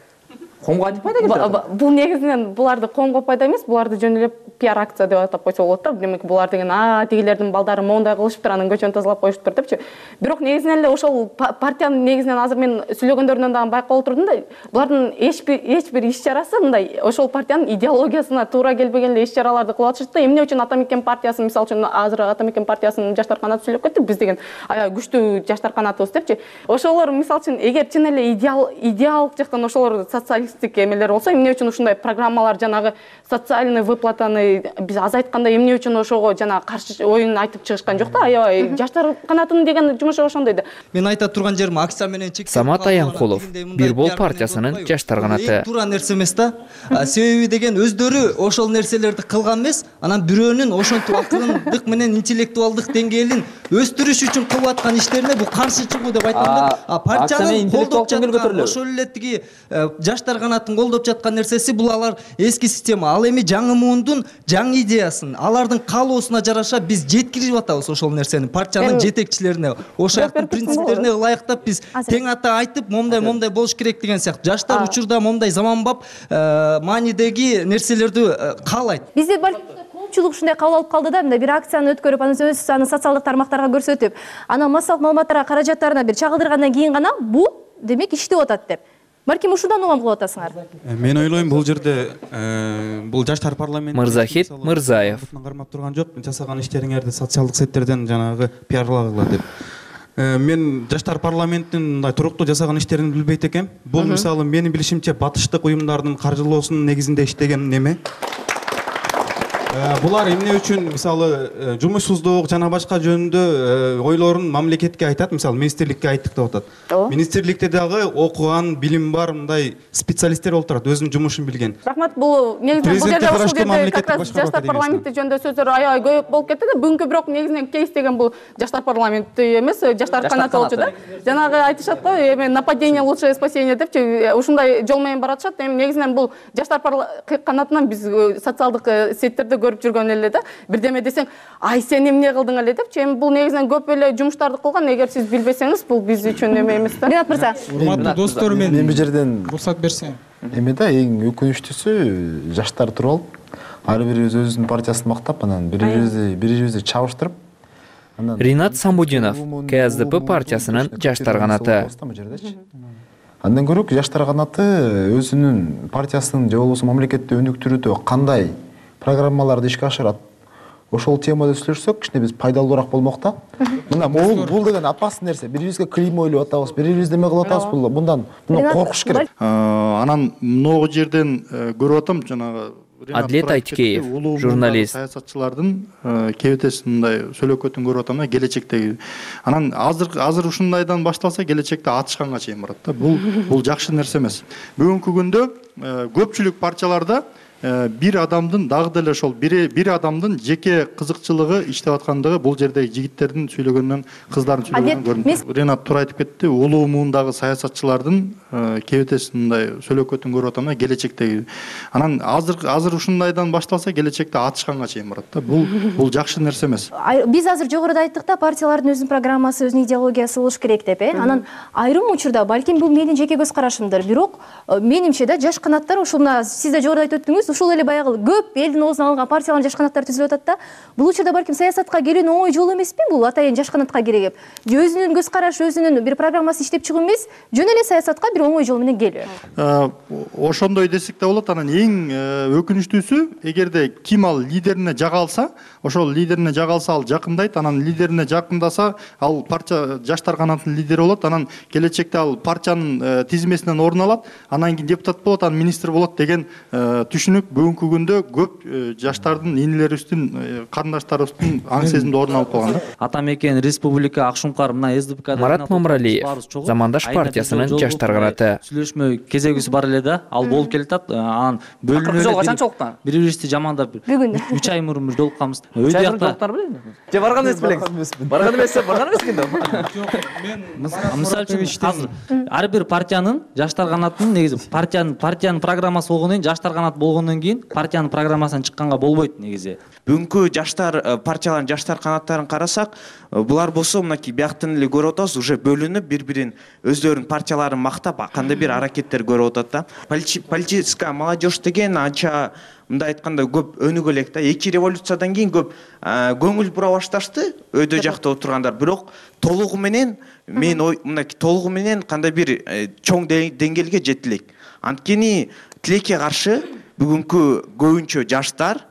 Коомго кантип пайда келтирет? Бул негизинен буларды коомго пайда эмес, буларды жөн эле пиар акция деп атап койсо болот да. Демек булар деген а тигилердин балдары моундай кылышыптыр, анан көчөнү тазалап коюшуптур депчи. Бирок негизинен эле ошол партиянын негизинен азыр мен сүйлөгөндөрүнөн дагы байкап отурдум да, булардын эч бир эч бир иш чарасы мындай ошол партиянын идеологиясына туура келбеген эле иш чараларды кылып атышат да. Эмне үчүн Ата Мекен партиясы, мисалы үчүн азыр Ата Мекен партиясынын жаштар канаты сүйлөп кеттик, биз деген аябай күчтүү жаштар канатыбыз депчи. Ошолор мисалы үчүн эгер чын эле идеал идеалдык жактан ошолор социалисттик эмелер болсо, эмне үчүн ушундай программалар жанагы социальный выплатаны биз азайтканда эмне үчүн ошого жана каршы оюн айтып чыгышкан жок да. Аябай жаштар канатынын деген жумушу ошондой да. Мен айта турган жерим акция менен чек. Самат Аянкулов, Бир Бол партиясынын жаштар канаты. Туура нерсе эмес да. Себеби деген өздөрү ошол нерселерди кылган эмес, анан бирөөнүн ошентип акылдык менен интеллектуалдык деңгээлин өстүрүш үчүн кылып аткан иштерине бул каршы чыгуу деп айтам да. А партиянын колдоп жаткан ошол эле тиги жаштар канатын колдоп жаткан нерсеси бул алар эски система. Ал эми жаңы муундун жаңы идеясын, алардын каалоосуна жараша биз жеткирип атабыз ошол нерсени партиянын жетекчилерине. Ошол жактын принциптерине ылайыктап биз тең ата айтып, момдай момдай болуш керек деген сыяктуу. Жаштар учурда момдай заманбап маанидеги нерселерди каалайт. Бизде коомчулук ушундай кабыл алып калды да, мындай бир акцияны өткөрүп, анан өз аны социалдык тармактарга көрсөтүп, анан массалык маалыматтарга каражаттарына бир чагылдыргандан кийин гана бул демек иштеп атат деп. Балким ушундан угам кылып атасыңар. Мен ойлойм, бул жерде бул жаштар парламенти Мырзахит Мырзаев кармап турган жок, жасаган иштериңерди социалдык сеттерден жанагы пиарлагыла деп. Мен жаштар парламентинин мындай туруктуу жасаган иштерин билбейт экем. Бул мисалы менин билишимче батыштык уюмдардын каржылоосунун негизинде иштеген неме. Булар эмне үчүн мисалы жумушсуздук жана башка жөнүндө ойлорун мамлекетке айтат, мисалы министрликке айттык деп атат. Министрликте дагы окуган, билим бар мындай специалисттер болуп турат, өзүнүн жумушун билген. Рахмат, бул негизинен бул жерде ушул жерде как раз жаштар парламенти жөнүндө сөздөр аябай көп болуп кетти да. Бүгүнкү бирок негизинен кейс деген бул жаштар парламенти эмес, жаштар канаты болчу да. Жанагы айтышат да, эми нападение лучшее спасение депчи, ушундай жол менен баратышат. Эми негизинен бул жаштар канатынан биз социалдык сеттерде көрүп жүргөн эле да. Бирдеме десең, ай сен эмне кылдың эле депчи. Эми бул негизинен көп эле жумуштарды кылган. Эгер сиз билбесеңиз, бул биз үчүн эме эмес да. Ринат мырза. Урматтуу достор, мен мен бул жерден уруксат берсем. Эме да, эң өкүнүчтүүсү жаштар туруп алып, ар бирибиз өзүнүн партиясын мактап, анан бири-бирибизди бири-бирибизди чабыштырып. Ринат Самбудинов, К С Д П партиясынын жаштар канаты. Андан көрөк жаштар канаты өзүнүн партиясынын же болбосо мамлекетти өнүктүрүүдө кандай программаларды ишке ашырат, ошол темада сүйлөшсөк, кичине биз пайдалуураак болмок да. Мына бул бул деген опасный нерсе. Бирибизге клеймо ойлоп атабыз, бирибиз неме кылып атабыз, бул мындан мындан коркуш керек. Анан могу жерден көрүп атам, жанагы Адлет Айтикеев, журналист. Саясатчылардын кебетесин мындай сөйлөкөтүн көрүп атам да, келечектеги. Анан азыр азыр ушундайдан башталса, келечекте атышканга чейин барат да. Бул бул жакшы нерсе эмес. Бүгүнкү күндө көпчүлүк партияларда бир адамдын дагы деле ошол бир бир адамдын жеке кызыкчылыгы иштеп аткандыгы бул жердеги жигиттердин сүйлөгөнүнөн, кыздардын сүйлөгөнүнөн көрүнүп. Ренат туура айтып кетти, улуу муундагы саясатчылардын кебетесин мындай сөйлөкөтүн көрүп атам да, келечектеги. Анан азыр азыр ушундайдан башталса, келечекте атышканга чейин барат да. Бул бул жакшы нерсе эмес. Биз азыр жогоруда айттык да, партиялардын өзүнүн программасы, өзүнүн идеологиясы болуш керек деп, э. Анан айрым учурда, балким бул менин жеке көз карашымдыр, бирок менимче да жаш канаттар ушул мына сиз да жогоруда айтып өттүңүз, эмес, ушул эле баягы көп элдин оозуна алынган партиялардын жаш канаттары түзүлүп атат да. Бул учурда балким саясатка келүүнүн оңой жолу эмеспи? Бул атайын жаш канатка кирегип, же өзүнүн көз карашы, өзүнүн бир программасы иштеп чыгуу эмес, жөн эле саясатка бир оңой жол менен келүү. Ошондой десек да болот. Анан эң өкүнүчтүүсү, эгерде ким ал лидерине жага алса, ошол лидерине жага алса ал жакындайт, анан лидерине жакындаса ал партия жаштар канатынын лидери болот, анан келечекте ал партиянын тизмесинен орун алат, анан кийин депутат болот, анан министр болот деген түшүнүк бүгүнкү күндө көп жаштардын, энелерибиздин, карындаштарыбыздын аң сезимде орун алып калган да. Атамекен Республика Акшумкар мына эс ди пи ка Марат Мамыралиев, Замандаш партиясынын жаштар канаты. Сүйлөшмө кезегибиз бар эле да, ал болуп келатат. Анан бөлүнүп бири-бирибизди жамандап бүгүн үч ай мурун бир жолукканбыз. үч ай мурун жолукканбы? Же барган эмес белеңиз? Барган эмес, барган эмескен да. Жок, мен мисалы үчүн азыр ар бир партиянын жаштар канатынын негизи партиянын партиянын программасы болгондон кийин, жаштар канат болгондон кийин партиянын программасынан чыкканга болбойт негизи. Бүгүнкү жаштар партиялардын жаштар канаттарын карасак, булар болсо мынакей бияктан эле көрүп атабыз, уже бөлүнүп бири-бирин өздөрүнүн партияларын мактап, кандай бир аракеттер көрүп атат да. Политическая молодежь деген анча мындай айтканда көп өнүгө элек да. Эки революциядан кийин көп көңүл бура башташты өйдө жакта отургандар. Бирок толугу менен мен мынакей толугу менен кандай бир чоң деңгээлге жете элек. Анткени тилекке каршы бүгүнкү көбүнчө жаштар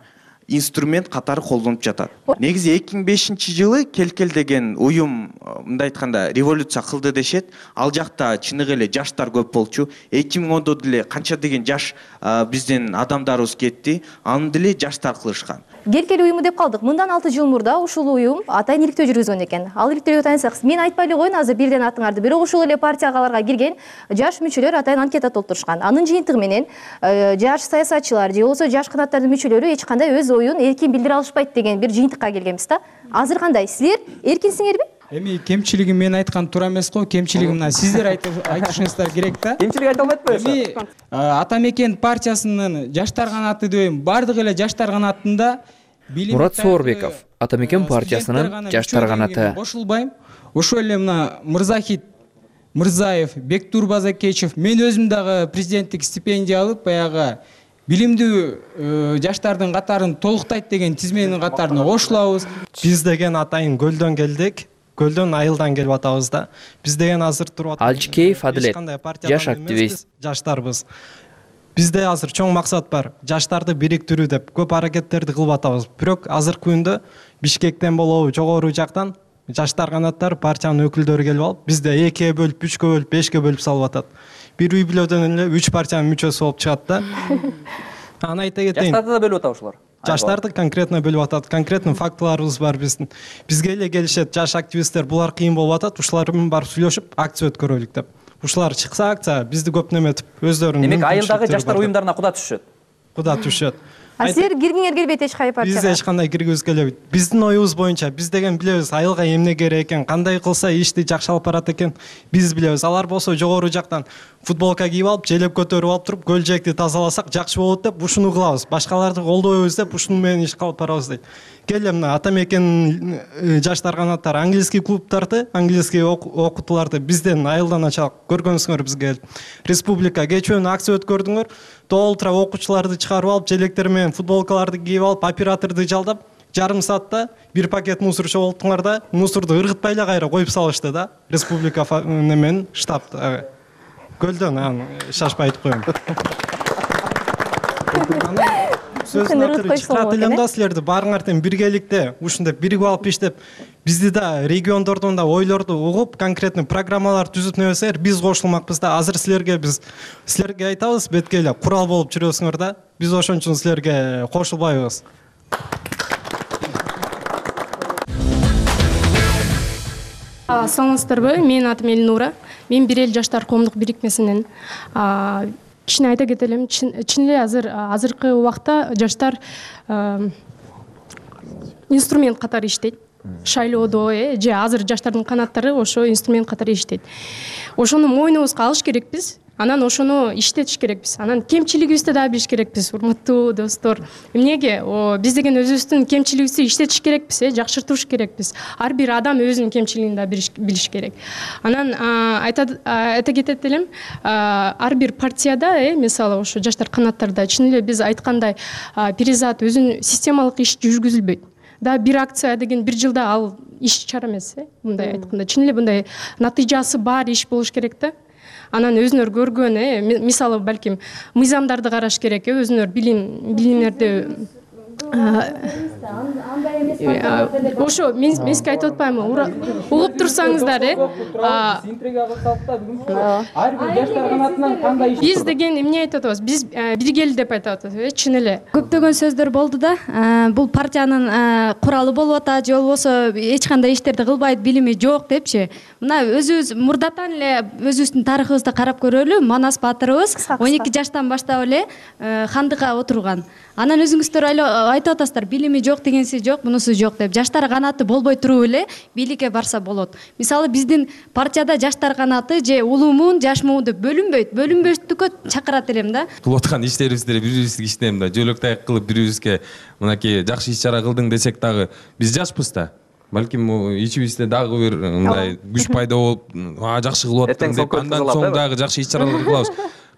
инструмент катары колдонуп жатат. Негизи эки миң бешинчи жылы Келкел деген уюм мындай айтканда революция кылды дешет. Ал жакта чыныгы эле жаштар көп болчу. эки миң ондо деле канча деген жаш биздин адамдарыбыз кетти. Аны деле жаштар кылышкан. Келкел уюму деп калдык. Мындан алты жыл мурда ушул уюм атайын иликтөө жүргүзгөн экен. Ал иликтөөгө таянсак, мен айтпай эле коеюн азыр бирден атыңарды. Бирок ушул эле партияларга кирген жаш мүчөлөр атайын анкета толтурушкан. Анын жыйынтыгы менен жаш саясатчылар же болбосо жаш канаттардын мүчөлөрү эч кандай өз оюн эркин билдире алышпайт деген бир жыйынтыкка келгенбиз да. Азыр кандай? Силер эркинсиңерби? Эми кемчилигин мен айткан туура эмес го, кемчилигин мына сиздер айтышыңыздар керек да. Кемчилик айта албайт белеңиз? Эми Атамекен партиясынын жаштар канаты дейм, бардык эле жаштар канатында Мурат Соорбеков, Атамекен партиясынын жаштар канаты. Кошулбайм. Ошол эле мына Мырзахит Мырзаев, Бектур Базакечев, мен өзүм дагы президенттик стипендия алып, баягы билимдүү жаштардын катарын толуктайт деген тизменин катарына кошулабыз. Биз деген атайын көлдөн келдик. Көлдөн айылдан келип атабыз да. Биз деген азыр туруп атабыз. Алчкеев Адилет, жаш активист. Жаштарбыз. Бизде азыр чоң максат бар. Жаштарды бириктирүү деп көп аракеттерди кылып атабыз. Бирок азыркы күндө Бишкектен болобу, жогору жактан жаштар канаттары партиянын өкүлдөрү келип алып, бизде экиге бөлүп, үчкө бөлүп, бешке бөлүп салып атат. Бир үй бүлөдөн эле үч партиянын мүчөсү болуп чыгат да. Аны айта кетейин. Жаштарды да бөлүп атат ушулар. Жаштарды конкретно бөлүп атат. Конкретно фактыларыбыз бар биздин. Бизге эле келишет жаш активисттер, булар кыйын болуп атат, ушулар менен барып сүйлөшүп, акция өткөрөлүк деп. Ушулар чыкса акция, бизди көп неметип, өздөрүнүн. Демек, айылдагы жаштар уюмдарына куда түшөт? Куда түшөт. А силер киргиңер келбейт эч кайсы партияга? Биз эч кандай киргибиз келбейт. Биздин оюбуз боюнча биз деген билебиз айылга эмне керек экен, кандай кылса ишти жакшы алып барат экен, биз билебиз. Алар болсо жогору жактан футболка кийип алып, желеп көтөрүп алып туруп, көл жээкти тазаласак жакшы болот деп ушуну кылабыз. Башкаларды колдойбуз деп ушуну менен иш кылып барабыз дейт. Келе мына Атамекен жаштар канаттары английский клубтарды, английский окутууларды бизден айылдан ачалык. Көргөнсүңөр бизге республика кечүүнү акция өткөрдүңөр. Толтура окуучуларды чыгарып алып, желектер менен футболкаларды кийип алып, операторду жалдап, жарым саатта бир пакет мусор чогулттуңар да, мусорду ыргытпай эле кайра коюп салышты да. Республика немен штаб көлдөн, аны шашпай айтып коем. Сөзүн акыры чакырат элем да силерди баарыңар тең биргеликте ушундай биригип алып иштеп, бизди да региондордун да ойлорду угуп, конкретный программалар түзүп небесеңер, биз кошулмакпыз да. Азыр силерге биз силерге айтабыз, бетке эле курал болуп жүрөсүңөр да. Биз ошон үчүн силерге кошулбайбыз. Саламатсыздарбы? Менин атым Элнура. Мен Бир эл жаштар коомдук бирикмесинен кичине айта кетелим. Чын эле азыр азыркы убакта жаштар инструмент катары иштейт. Шайлоодо же азыр жаштардын канаттары ошо инструмент катары иштейт. Ошону мойнубузга алыш керекпиз. анан ошону иштетиш керекпиз. Анан кемчилигибизди дагы билиш керекпиз, урматтуу достор. Эмнеге биз деген өзүбүздүн кемчилигибизди иштетиш керекпиз, э, жакшыртыш керекпиз. Ар бир адам өзүнүн кемчилигин да билиш керек. Анан айта кетет элем, ар бир партияда, э, мисалы ошо жаштар канаттарда чын эле биз айткандай перизат өзүнүн системалык иш жүргүзүлбөйт. Да бир акция деген бир жылда ал иш чара эмес, э, мындай айтканда. Чын эле мындай натыйжасы бар иш болуш керек да. Анан өзүнөр көргөн, э, мисалы балким мыйзамдарды караш керек, э, өзүнөр билим билимдерди ошо мен сизге айтып атпаймынбы, угуп турсаңыздар, э. Биз деген эмне айтып атабыз? Биз биргели деп айтып атабыз, э, чын эле. Көптөгөн сөздөр болду да. Бул партиянын куралы болуп атат, же болбосо эч кандай иштерди кылбайт, билими жок депчи. Мына өзүбүз мурдатан эле өзүбүздүн тарыхыбызды карап көрөлү. Манас баатырыбыз он эки жаштан баштап эле хандыкка отурган. Анан өзүңүздөр айтып атасыздар, билими жок дегенси жок, мунусу жок деп. Жаштар канаты болбой туруп эле бийликке барса болот. Мисалы биздин партияда жаштар канаты же улуумун, жашмуун деп бөлүнбөйт. Бөлүнбөштүккө чакырат элем да. Кылып аткан иштерибизди бири-бирибизге иштейм да. Жөлөк таяк кылып бири-бирибизге мынакей жакшы иш-чара кылдың десек дагы биз жашпыз да. Балким ичибизде дагы бир мындай күч пайда болуп, жакшы кылып аттың деп андан соң дагы жакшы иш-чаралар кылабыз.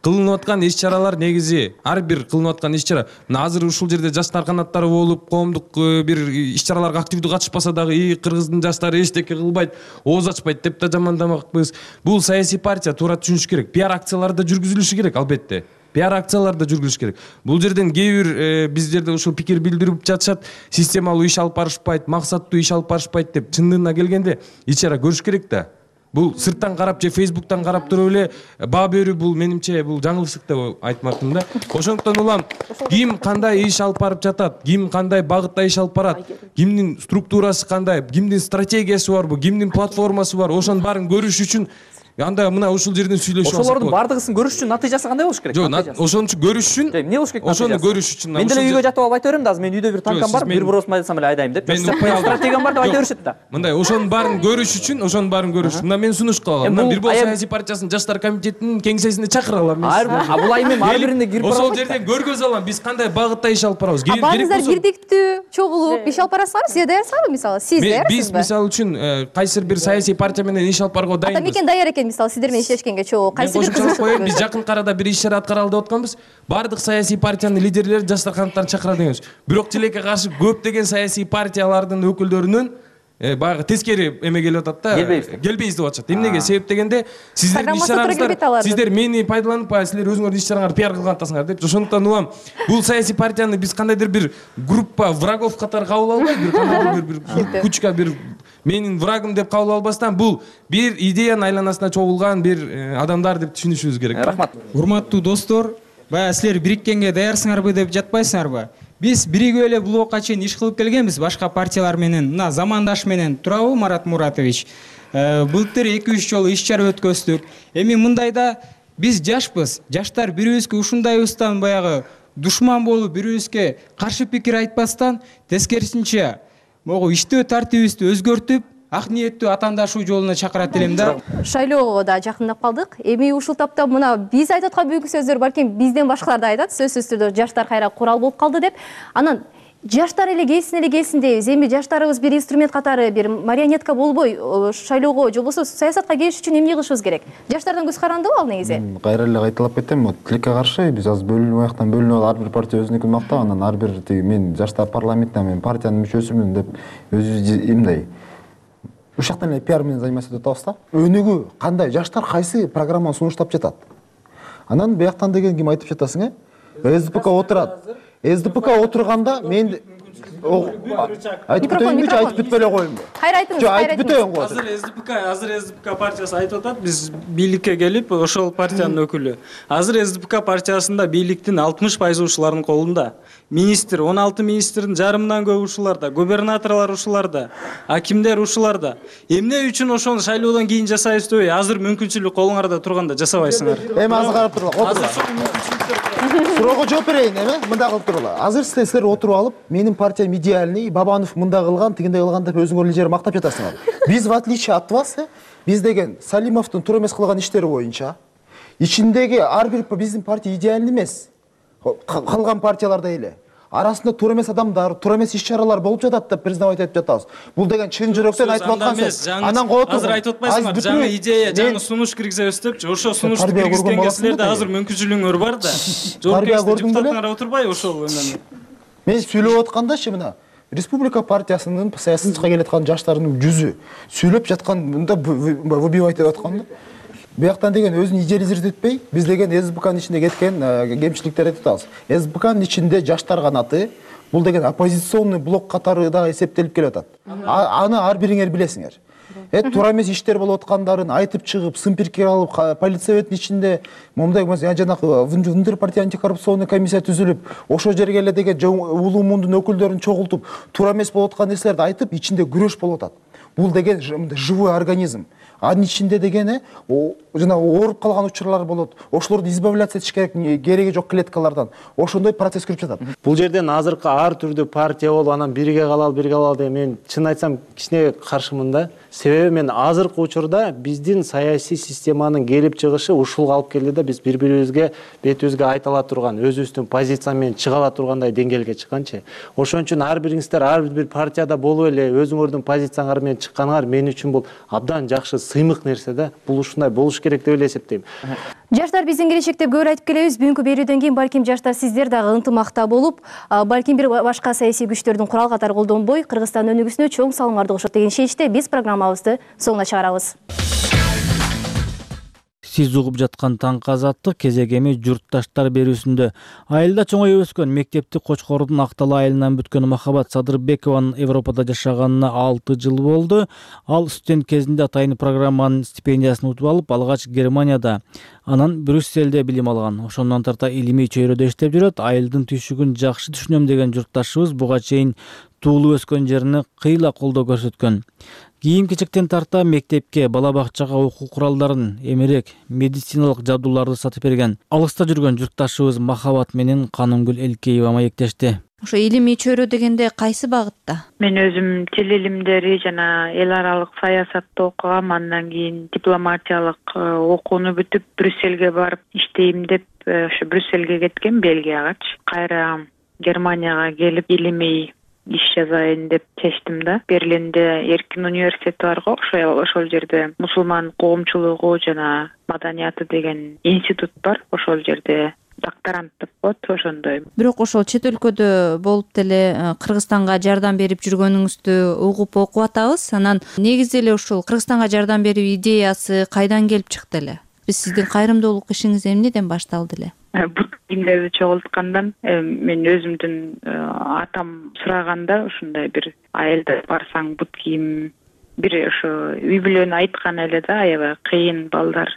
Кылынып аткан иш-чаралар негизи ар бир кылынып аткан иш-чара. Мына азыр ушул жерде жаштар канаттары болуп, коомдук бир иш-чараларга активдүү катышпаса дагы, "И, Кыргыздын жаштары эчтеке кылбайт, ооз ачпайт" деп да жамандамакпыз. Бул саясий партия туура түшүнүш керек. Пиар акциялары да жүргүзүлүшү керек, албетте. Пиар акциялары да жүргүзүш керек. Бул жерден кээ бир биздерде ушул пикир билдирип жатышат, системалуу иш алып барышпайт, максаттуу иш алып барышпайт деп. Чындыгына келгенде иш-чара көрүш керек да. Бул сырттан карап же Facebooktан карап туруп эле баа берүү бул менимче бул жаңылышык деп айтмакмын да. Ошондуктан улам ким кандай иш алып барып жатат, ким кандай багытта иш алып барат, кимдин структурасы кандай, кимдин стратегиясы барбы, кимдин платформасы бар, ошонун баарын көрүш үчүн анда мына ушул жерден сүйлөшүп алсак болот. Ошолордун баардыгысын көрүш үчүн натыйжасы кандай болуш керек? Жок, ошон үчүн көрүш үчүн эмне болуш керек? Ошону көрүш үчүн. Мен деле үйгө жатып алып айта берем да, азыр менин үйдө бир танкам бар, бир бросум айтсам эле айдайм деп. Стратегиям бар деп айта беришет да. Мындай ошонун баарын көрүш үчүн, ошонун баарын көрүш үчүн мына мен сунуш кылам. Мына бир болсо саясий партиясынын жаштар комитетинин кеңсесине чакыра алам мен. А бул айым ар бирине кирип барам. Ошол жерден көргөзө алам биз кандай багытта иш алып барабыз. Баарыңыздар бирдиктүү чогулуп иш алып барасыңарбы? Сиз даярсызбы мисалы? Сиз даярсызбы? Биз мисалы үчүн кайсыр бир саясий партия менен иш алып барууга дайынбыз. Атамекен даяр экен мисалы сиздер менен иштешкенге чогуу. Кайсы бир кызыкчылык? Биз жакын арада бир иш-чара аткаралы деп атканбыз. Бардык саясий партиянын лидерлери жаштар канаттарын чакыра дегенбиз. Бирок тилекке каршы көптөгөн саясий партиялардын өкүлдөрүнүн баягы тескери эме келип атат да. Келбейбиз деп атышат. Эмнеге? Себеп дегенде сиздердин иш-чараңыздар, сиздер мени пайдаланып, силер өзүңөрдүн иш-чараңарды пиар кылган атасыңар деп. Ошондуктан улам бул саясий партияны биз кандайдыр бир группа врагов катары кабыл албай, бир кандайдыр бир кучка бир менин врагым деп кабыл албастан бул бир идеянын айланасына чогулган бир адамдар деп түшүнүшүбүз керек. Рахмат. Урматтуу достор, баягы силер бириккенге даярсыңарбы деп жатпайсыңарбы? Биз биригип эле бул убакка чейин иш кылып келгенбиз башка партиялар менен. Мына замандаш менен турабы Марат Муратович? Былтыр эки үч жолу иш-чара өткөздүк. Эми мындайда биз жашпыз. Жаштар бирибизге ушундайыбыздан баягы душман болуп, бирибизге каршы пикир айтпастан, тескерисинче могу иштөө тартибибизди өзгөртүп, ак ниеттүү атаандашуу жолуна чакырат элем да. Шайлоого да жакындап калдык. Эми ушул тапта мына биз айтып аткан бүгүнкү сөздөр балким бизден башкалар да айтат. Сөзсүз түрдө жаштар кайра курал болуп калды деп. Анан жаштар эле келсин эле келсин дейбиз. Эми жаштарыбыз бир инструмент катары, бир марионетка болбой шайлоого же болбосо саясатка келиш үчүн эмне кылышыбыз керек? Жаштардан көз карандыбы ал негизи? Кайра эле кайталап кетем. Тилекке каршы биз азыр бөлүнүп аяктан бөлүнүп ар бир партия өзүнүкүн мактап, анан ар бир тиги мен жаштар парламентинен мен партиянын мүчөсүмүн деп өзүбүз эмндай ушактан эле пиар менен заниматься этип атабыз да. Өнүгүү кандай, жаштар кайсы программаны сунуштап жатат. Анан бияктан деген ким айтып жатасың, э? СДПК отурат. СДПК отурганда мен айтып бүтөйүнбү, айтып бүтпөй эле коеюнбу? Кайра айтыңыз, кайра айтып бүтөйүн го. Азыр СДПК, азыр СДПК партиясы айтып атат, биз бийликке келип, ошол партиянын өкүлү. Азыр СДПК партиясында бийликтин алтымыш пайызы ушулардын колунда. Министр, он алты министрдин жарымынан көп ушуларда, губернаторлор ушуларда, акимдер ушуларда. Эмне үчүн ошону шайлоодон кийин жасайбыз дебей, азыр мүмкүнчүлүк колуңарда турганда жасабайсыңар. Эми азыр карап турула, отурула. Суроого жооп берейин, эме? Мындай кылып турула. Азыр силер отуруп алып, менин партиям идеальный, Бабанов мындай кылган, тигиндей кылган деп өзүңөр эле мактап жатасыңар. Биз в отличие от вас, биз деген Салимовдун туура эмес кылган иштери боюнча ичиндеги ар бир биздин партия идеальный эмес. Калган партияларда эле арасында туура эмес адамдар, туура эмес иш-чаралар болуп жатат деп признавать этип жатабыз. Бул деген чын жүрөктөн айтып аткан сөз. Анан коо тургун. Азыр айтып атпайсыңар, жаңы идея, жаңы сунуш киргизебиз депчи. Ошо сунушту киргизгенге силерде азыр мүмкүнчүлүгүңөр бар да. Жоопкерчиликти депутаттар отурбай ошол менен. Мен сүйлөп аткандачы мына Республика партиясынын саясатка келаткан жаштардын жүзү сүйлөп жаткан мында выбивать этип аткан да. Бияктан деген өзүн идеализирдетпей, биз деген СБКнын ичинде кеткен кемчиликтерди айтып атабыз. СБКнын ичинде жаштар канаты бул деген оппозиционный блок катары да эсептелип келип атат. Аны ар бириңер билесиңер. Э туура эмес иштер болуп аткандарын айтып чыгып, сын пикир алып, политсоветтин ичинде момундай жанагы внутри партия антикоррупционный комиссия түзүлүп, ошол жерге эле деген улуу мундун өкүлдөрүн чогултуп, туура эмес болуп аткан нерселерди айтып, ичинде күрөш болуп атат. Бул деген живой организм. Анын ичинде деген жана ооруп калган учурлар болот. Ошолорду избавляться этиш керек, кереги жок клеткалардан. Ошондой процесс көрүп жатат. Бул жерден азыркы ар түрдүү партия болуп, анан бирге калалы, бирге калалы деген мен чын айтсам кичине каршымын да. Себеби мен азыркы учурда биздин саясий системанын келип чыгышы ушул алып келди да, биз бири-бирибизге бетибизге айта ала турган, өзүбүздүн позиция менен чыга ала тургандай деңгээлге чыкканчы. Ошон үчүн ар бириңиздер ар бир партияда болуп эле өзүңөрдүн позицияңар менен чыкканыңар мен үчүн бул абдан жакшы сыймык нерсе да. Бул ушундай болуш керек деп эле эсептейм. Жаштар биздин келечек деп көп айтып келебиз. Бүгүнкү берүүдөн кийин балким жаштар сиздер дагы ынтымакта болуп, балким бир башка саясий күчтөрдүн курал катары колдонбой, Кыргызстан өнүгүүсүнө чоң салымдарды кошот деген чечиште биз программабызды соңуна чыгарабыз. Сиз угуп жаткан таңкы азаттык кезегеми журтташтар берүүсүндө. Айылда чоңоюп өскөн, мектепти Кочкордун Актал айылынан бүткөн Махабат Садырбекованын Европада жашаганына алты жыл болду. Ал студент кезинде атайын программанын стипендиясын утуп алып, алгач Германияда, анан Брюсселде билим алган. Ошондон тарта илимий чөйрөдө иштеп жүрөт. Айылдын түйшүгүн жакшы түшүнөм деген журтташыбыз буга чейин туулуп өскөн жерине кыйла колдоо көрсөткөн. Кийим-кечектен тарта мектепке, бала бакчага окуу куралдарын, эмерек, медициналык жабдууларды сатып берген. Алыста жүргөн журтташыбыз Махабат менен Канымгүл Элкеева маектешти. Ошо илимий чөйрө дегенде кайсы багытта? Мен өзүм тил илимдери жана эл аралык саясатты окугам, андан кийин дипломатиялык окууну бүтүп Брюссельге барып иштейм деп ошо Брюссельге кеткем, Бельгиягачы. Кайра Германияга келип илимий иш жазайын деп чечтим да. Берлинде Эркин университети бар го, ошол ошол жерде мусулман коомчулугу жана маданияты деген институт бар. Ошол жерде докторант деп коет, ошондой. Бирок ошол чет өлкөдө болуп деле Кыргызстанга жардам берип жүргөнүңүздү угуп окуп атабыз. Анан негизи эле ушул Кыргызстанга жардам берүү идеясы кайдан келип чыкты эле? Биз сиздин кайрымдуулук ишиңиз эмнеден башталды эле? Бут кийимдерди чогулткандан мен өзүмдүн атам сураганда ушундай бир айылда барсаң бут кийим бир ошо үй бүлөнү айткан эле да, аябай кыйын балдар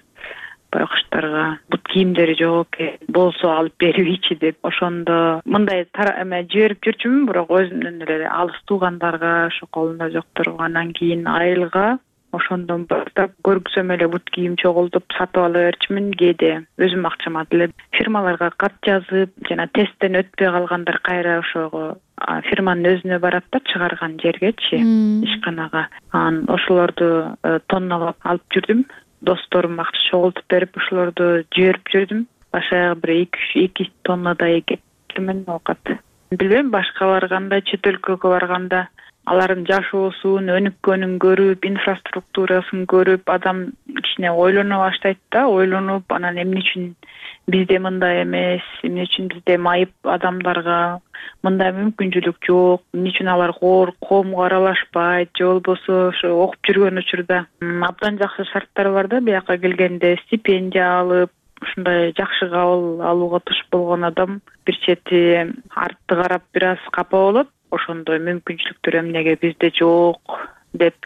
байкуштарга бут кийимдери жок экен, болсо алып берибичи деп. Ошондо мындай эме жиберип жүрчүмүн, бирок өзүмдөн эле алыс туугандарга, ошо колунда жокторго. Андан кийин айылга ошондон баштап көргүзөм эле бут кийим чогултуп сатып ала берчүмүн. Кээде өзүм акчама деле фирмаларга кат жазып, жана тесттен өтпөй калгандар кайра ошого фирманын өзүнө барат да, чыгарган жергечи, ишканага. Анан ошолорду тонналап алып жүрдүм. Досторум акча чогултуп берип, ошолорду жиберип жүрдүм. Башаяк бир эки тоннадай кеткенмин оокат. Билбейм, башкалар кандай, чет өлкөгө барганда алардын жашоосун, өнүккөнүн көрүп, инфраструктурасын көрүп, адам кичине ойлоно баштайт да, ойлонуп, анан эмне үчүн бизде мындай эмес, эмне үчүн бизде майып адамдарга мындай мүмкүнчүлүк жок, эмне үчүн алар коомго аралашпайт, же болбосо ошо окуп жүргөн учурда абдан жакшы шарттар бар да, бияка келгенде стипендия алып, ушундай жакшы кабыл алууга туш болгон адам бир чети артты карап бир аз капа болот. Ошондой мүмкүнчүлүктөр эмнеге бизде жок деп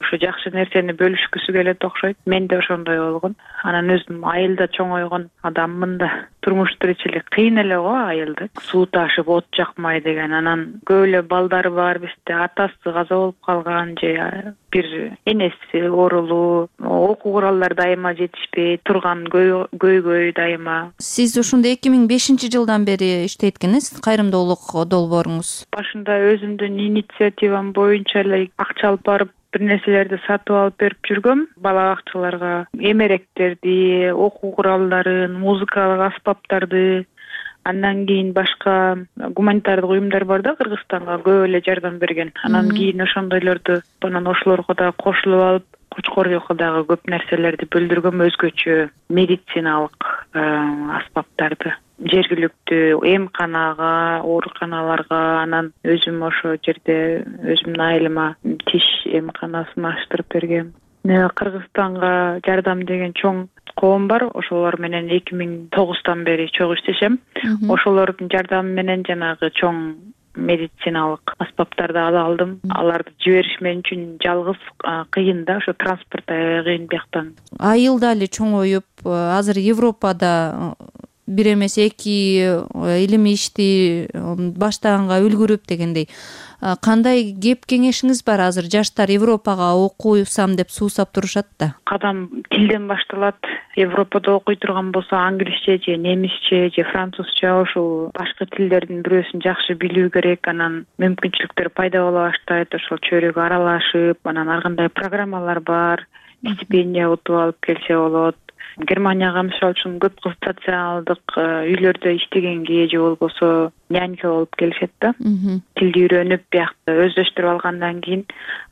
ошо жакшы нерсени бөлүшкүсү келет окшойт. Мен да ошондой болгон. Анан өзүм айылда чоңойгон адаммын да. Турмуш тиричилик кыйын эле го айылда. Суу ташып от жакмай деген. Анан көп эле балдар бар бизде, атасы каза болуп калган же бир энеси оорулуу, окуу куралдар дайыма жетишпей турган көйгөй дайыма. Сиз ушунда эки миң бешинчи жылдан бери иштейт экенсиз, кайрымдуулук долбооруңуз. Башында өзүмдүн инициативам боюнча эле акча алып барып бир нерселерди сатып алып берип жүргөм бала бакчаларга. Эмеректерди, окуу куралдарын, музыкалык аспаптарды. Андан кийин башка гуманитардык уюмдар бар да Кыргызстанга көп эле жардам берген. Анан кийин ошондойлорду анан ошолорго да кошулуп алып, Кочкордуга дагы көп нерселерди бөлдүргөм, өзгөчө медициналык аспаптарды. Жергиликтүү эмканага, ооруканаларга, анан өзүм ошо жерде өзүмдүн айылыма тиш эмканасын аштырып бергем. Кыргызстанга жардам деген чоң коом бар. Ошолор менен эки миң тогуздан бери чогуу иштешем. Ошолордун жардамы менен жанагы чоң медициналык аспаптарды ала алдым. Аларды жибериш мен үчүн жалгыз кыйын да, ошо транспорт аябай кыйын бияктан. Айыл дали чоңоюп, азыр Европада бир эмес эки илим ишти баштаганга үлгүрүп дегендей. Кандай кеп кеңешиңиз бар? Азыр жаштар Европага окуйсам деп суусап турушат да. Кадам тилден башталат. Европада окуй турган болсо англисче же немисче же французча, ошол башка тилдердин бирөөсүн жакшы билүү керек. Анан мүмкүнчүлүктөр пайда боло баштайт. Ошол чөйрөгө аралашып, анан ар кандай программалар бар. Стипендия утуп алып келсе болот. Германияга мисалы үчүн көп кыз социалдык үйлөрдө иштегенге же болбосо нянька болуп келишет да. Тилди үйрөнүп, биякта өздөштүрүп алгандан кийин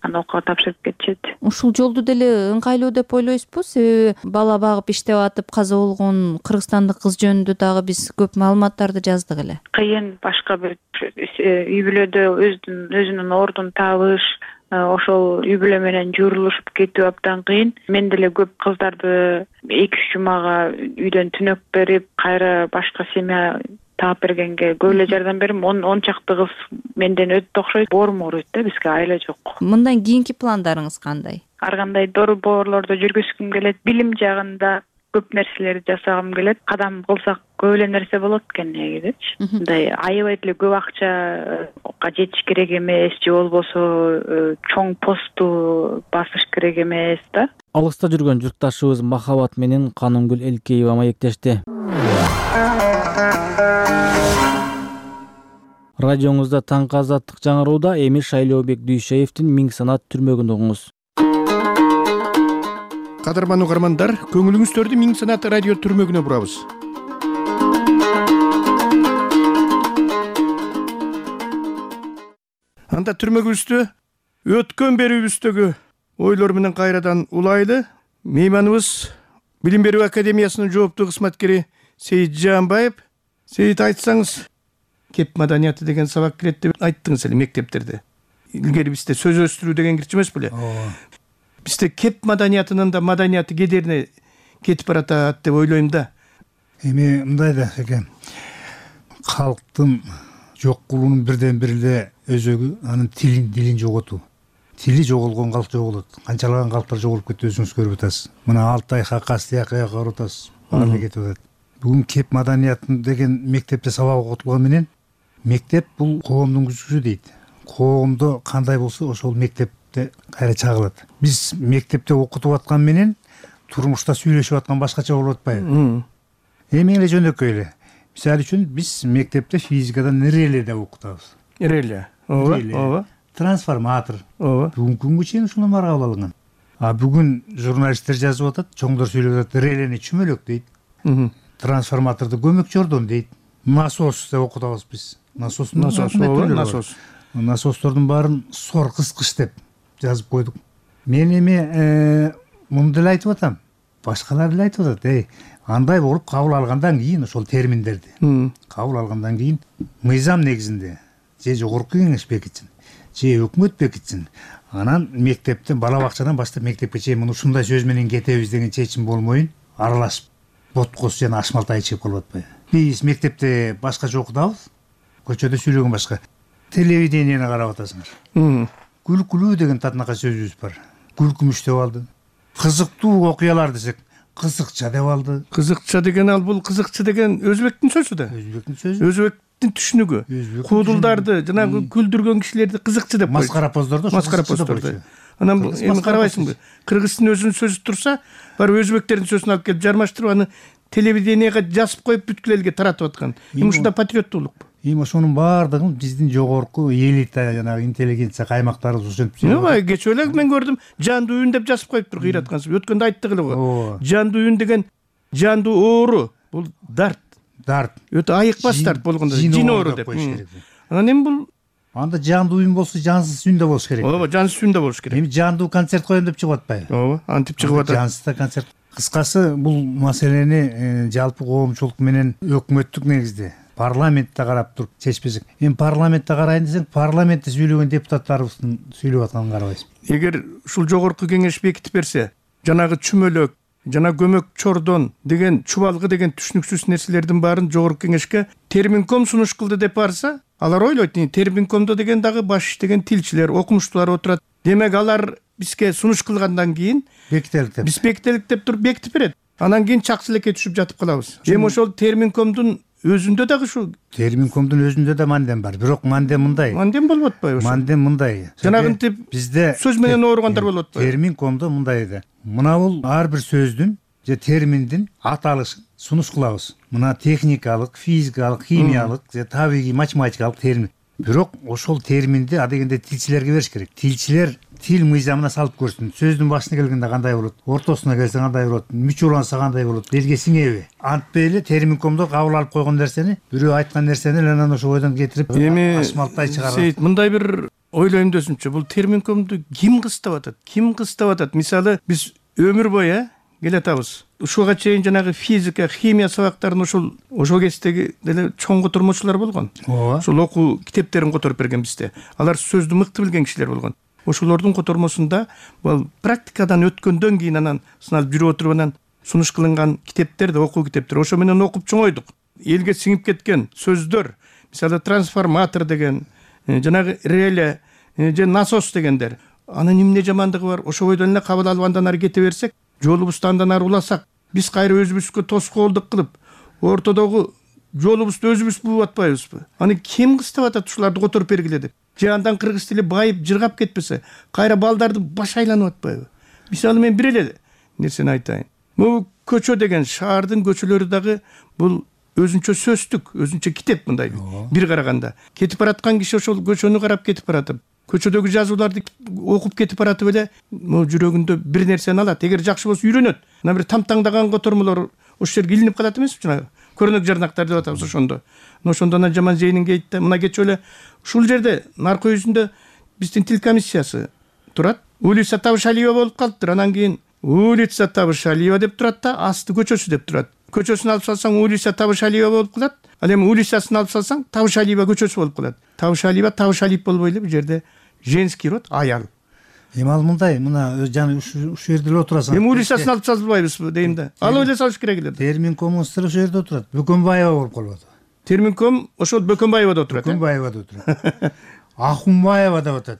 аны окууга тапшырып кетишет. Ушул жолду деле ыңгайлуу деп ойлойсузбу? Себеби бала багып иштеп атып каза болгон кыргызстандык кыз жөнүндө дагы биз көп маалыматтарды жаздык эле. Кыйын башка бир үй бүлөдө өзүнүн өзүнүн ордун табыш, ошол үй бүлө менен журулушуп кетүү абдан кыйын. Мен деле көп кыздарды эки үч жумага үйдөн түнөк берип, кайра башка семья таап бергенге көп эле жардам бердим. он чакты кыз менден өтө окшойт, боорум ооруйт да, бизге айла жок. Мындан кийинки пландарыңыз кандай? Ар кандай борборлордо жүргүзгүм келет, билим жагында көп нерселерди жасагым келет. Кадам кылсак көп эле нерсе болот экен негизичи. Мындай аябай эле көп акчага жетиш керек эмес, же болбосо чоң посту басыш керек эмес да. Алыста жүргөн журтташыбыз Махабат менен Канымгүл Элкеева маектешти. Радиоңузда таңкы азаттык жаңырууда эми Шайлообек Дүйшеевдин Миң санат түрмөгүн угуңуз. Кадырман угармандар, көңүлүңүздөрдү Миң санат радио түрмөгүнө бурабыз. Анда түрмөгүбүздө өткөн берүүбүздөгү ойлор менен кайрадан улайлы мейманыбыз Билим берүү академиясынын жооптуу кызматкери Сейит Жаанбаев. Сейит, айтсаңыз, кеп маданияты деген сабак кирет деп айттыңыз эле мектептерде. Илгери бизде сөз өстүрүү деген кирчү эмес беле? Бизде кеп маданиятынын да маданияты кедерине кетип баратат деп ойлойм да. Эми мындай да экен. Калктын жок кылуунун бирден бир эле өзөгү анын тилин дилин жоготуу. Тили жоголгон калк жоголот. Канчалаган калктар жоголуп кетти, өзүңүз көрүп атасыз. Мына Алтай, Хакас тиякка карап атасыз. Баары кетип атат. Бүгүн кеп маданиятын деген мектепте сабак окутулган менен мектеп бул коомдун күзгүсү дейт. Коомдо кандай болсо ошол мектепте кайра чагылат. Биз мектепте окутуп аткан менен турмушта сүйлөшүп аткан башкача болуп атпайбы? Эми эле жөнөкөй эле. Мисалы үчүн биз мектепте физикадан реле деп окутабыз. Реле. Ооба, ооба. Трансформатор. Ооба. Бүгүнкү күнгө чейин ушуну баары кабыл алынган. А бүгүн журналисттер жазып атат, чоңдор сүйлөп атат, релени чүмөлөк дейт. Трансформаторду көмөк жордон дейт. Насос деп окутабыз биз. Насостун насос, насос. Насостордун баарын сор кыскыч деп жазып койдук. Мен эми муну деле айтып атам. Башкалар деле айтып атат, эй, андай болуп кабыл алгандан кийин ошол терминдерди кабыл алгандан кийин мыйзам негизинде же жогорку кеңеш бекитсин, же өкмөт бекитсин. Анан мектептен, бала бакчадан баштап мектепке чейин муну ушундай сөз менен кетебиз деген чечим болмойун, аралашып боткос жана ашмалтай чыгып калып атпайбы? Биз мектепте башкача окутабыз, көчөдө сүйлөгөн башка. Телевидениени карап атасыңар. Күлкүлүү деген татынакай сөзүбүз бар. Күлкүмүш деп алды. Кызыктуу окуялар десек, кызыкча деп алды. Кызыкча деген ал бул кызыкча деген өзбектин сөзү да. Өзбектин сөзү. Өзбектин түшүнүгү. Куудулдарды, жанагы күлдүргөн кишилерди кызыкчы деп койду. Маскарапоздорду, маскарапоздорду. Анан эми карабайсыңбы? Кыргыздын өзүнүн сөзү турса, бар өзбектердин сөзүн алып келип жармаштырып аны телевиденияга жазып коюп бүткүл элге таратып аткан. Эми ушунда патриоттуулук. эми ошонун баардыгын биздин жогорку элита жанагы интеллигенция каймактарыбыз ошентип ооба кечээ эле мен көрдүм жандуу үн деп жазып коюптур кыйраткансып өткөндө айттык эле го жандуу үн деген жандуу оору бул дарт дарт өтө айыкпас дарт болгондо жин оору деп анан эми бул анда жандуу үн болсо жансыз үн да болуш керек ооба жансыз үн да болуш керек эми жандуу концерт коем деп чыгып атпайбы ооба антип чыгып атат жансыз да концерт кыскасы бул маселени жалпы коомчулук менен өкмөттүк негизде парламентте карап туруп чечпесек эми парламентте карайын десең парламентте сүйлөгөн депутаттарыбыздын сүйлөп атканын карабайсызбы эгер ушул жогорку кеңеш бекитип берсе жанагы чүмөлөк жана көмөк чордон деген чубалгы деген түшүнүксүз нерселердин баарын жогорку кеңешке терминком сунуш кылды деп барса алар ойлойт терминкомдо деген дагы баш иштеген тилчилер окумуштуулар отурат демек алар бизге сунуш кылгандан кийин бекителик деп биз бекителик деп туруп бекитип берет анан кийин чаксы элекке түшүп жатып калабыз эми ошол терминкомдун өзүндө дагы ушул терминкомдун өзүндө да мандем бар бирок мандем мындай мандем болуп атпайбы ошо мандем мындай жанагынтип бизде сөз менен ооругандар болуп атпайбы терминкомдо мындай да мына бул ар бир сөздүн же терминдин аталышын сунуш кылабыз мына техникалык физикалык химиялык же табигый математикалык термин бирок ошол терминди адегенде тилчилерге бериш керек тилчилер тил мыйзамына салып көрсүн сөздүн башына келгенде кандай болот ортосуна келсе кандай болот мүч уланса кандай болот элге сиңеби антпей эле терминкомдо кабыл алып койгон нерсени бирөө айткан нерсени эле анан ошо бойдон кетирип эми ашмалтай чыгарат Сейит мындай бир ойлойм десимчи бул терминкомду ким кыстап атат ким кыстап атат мисалы биз өмүр бою э келатабыз ушуга чейин жанагы физика химия сабактарын ошол ошол кездеги деле чоң котормочулар болгон ооба ошол окуу китептерин которуп берген бизде алар сөздү мыкты билген кишилер болгон ошолордун котормосунда бул практикадан өткөндөн кийин анан сыналып жүрүп отуруп анан сунуш кылынган китептер да окуу китептер ошо менен окуп чоңойдук элге сиңип кеткен сөздөр мисалы трансформатор деген жанагы реле же насос дегендер анын эмне жамандыгы бар ошо бойдон эле кабыл алып андан ары кете берсек жолубузду андан ары уласак биз кайра өзүбүзгө тоскоолдук кылып ортодогу жолубузду өзүбүз бууп атпайбызбы аны ким кыстап атат ушуларды которуп бергиле деп же андан кыргыз тили байып жыргап кетпесе кайра балдарды баш айланып атпайбы мисалы мен бир эле нерсени айтайын могу көчө деген шаардын көчөлөрү дагы бул өзүнчө сөздүк өзүнчө китеп мындай бир караганда кетип бараткан киши ошол көчөнү карап кетип баратып көчөдөгү жазууларды окуп кетип баратып эле могу жүрөгүндө бир нерсени алат эгер жакшы болсо үйрөнөт мына бир тамтаңдаган котормолор ошол жерге илинип калат эмеспи жанагы көрнөк жарнактар деп атабыз ошондо ошондо анан жаман зейнин кейт да мына кечээ эле ушул жерде наркы үйүзүндө биздин тил комиссиясы турат улица Табышалиева болуп калыптыр анан кийин улица Табышалиева деп турат да асты көчөсү деп турат көчөсүн алып салсаң улица Табышалиева болуп калат ал эми улицасын алып салсаң Табышалиева көчөсү болуп калат Табышалиева Табышалиев болбой эле бул жерде женский род аял эми ал мындай мына жана ушул жерде эле отурасың эми улицасын алып салбайбызбы дейм да алып эле салыш керек эле терминкомдун сыры ошол жерде отурат Бөкөнбаева болуп калып атат терминком ошол Бөкөнбаевада отурат Бөкөнбаевада отурат Ахунбаева деп атат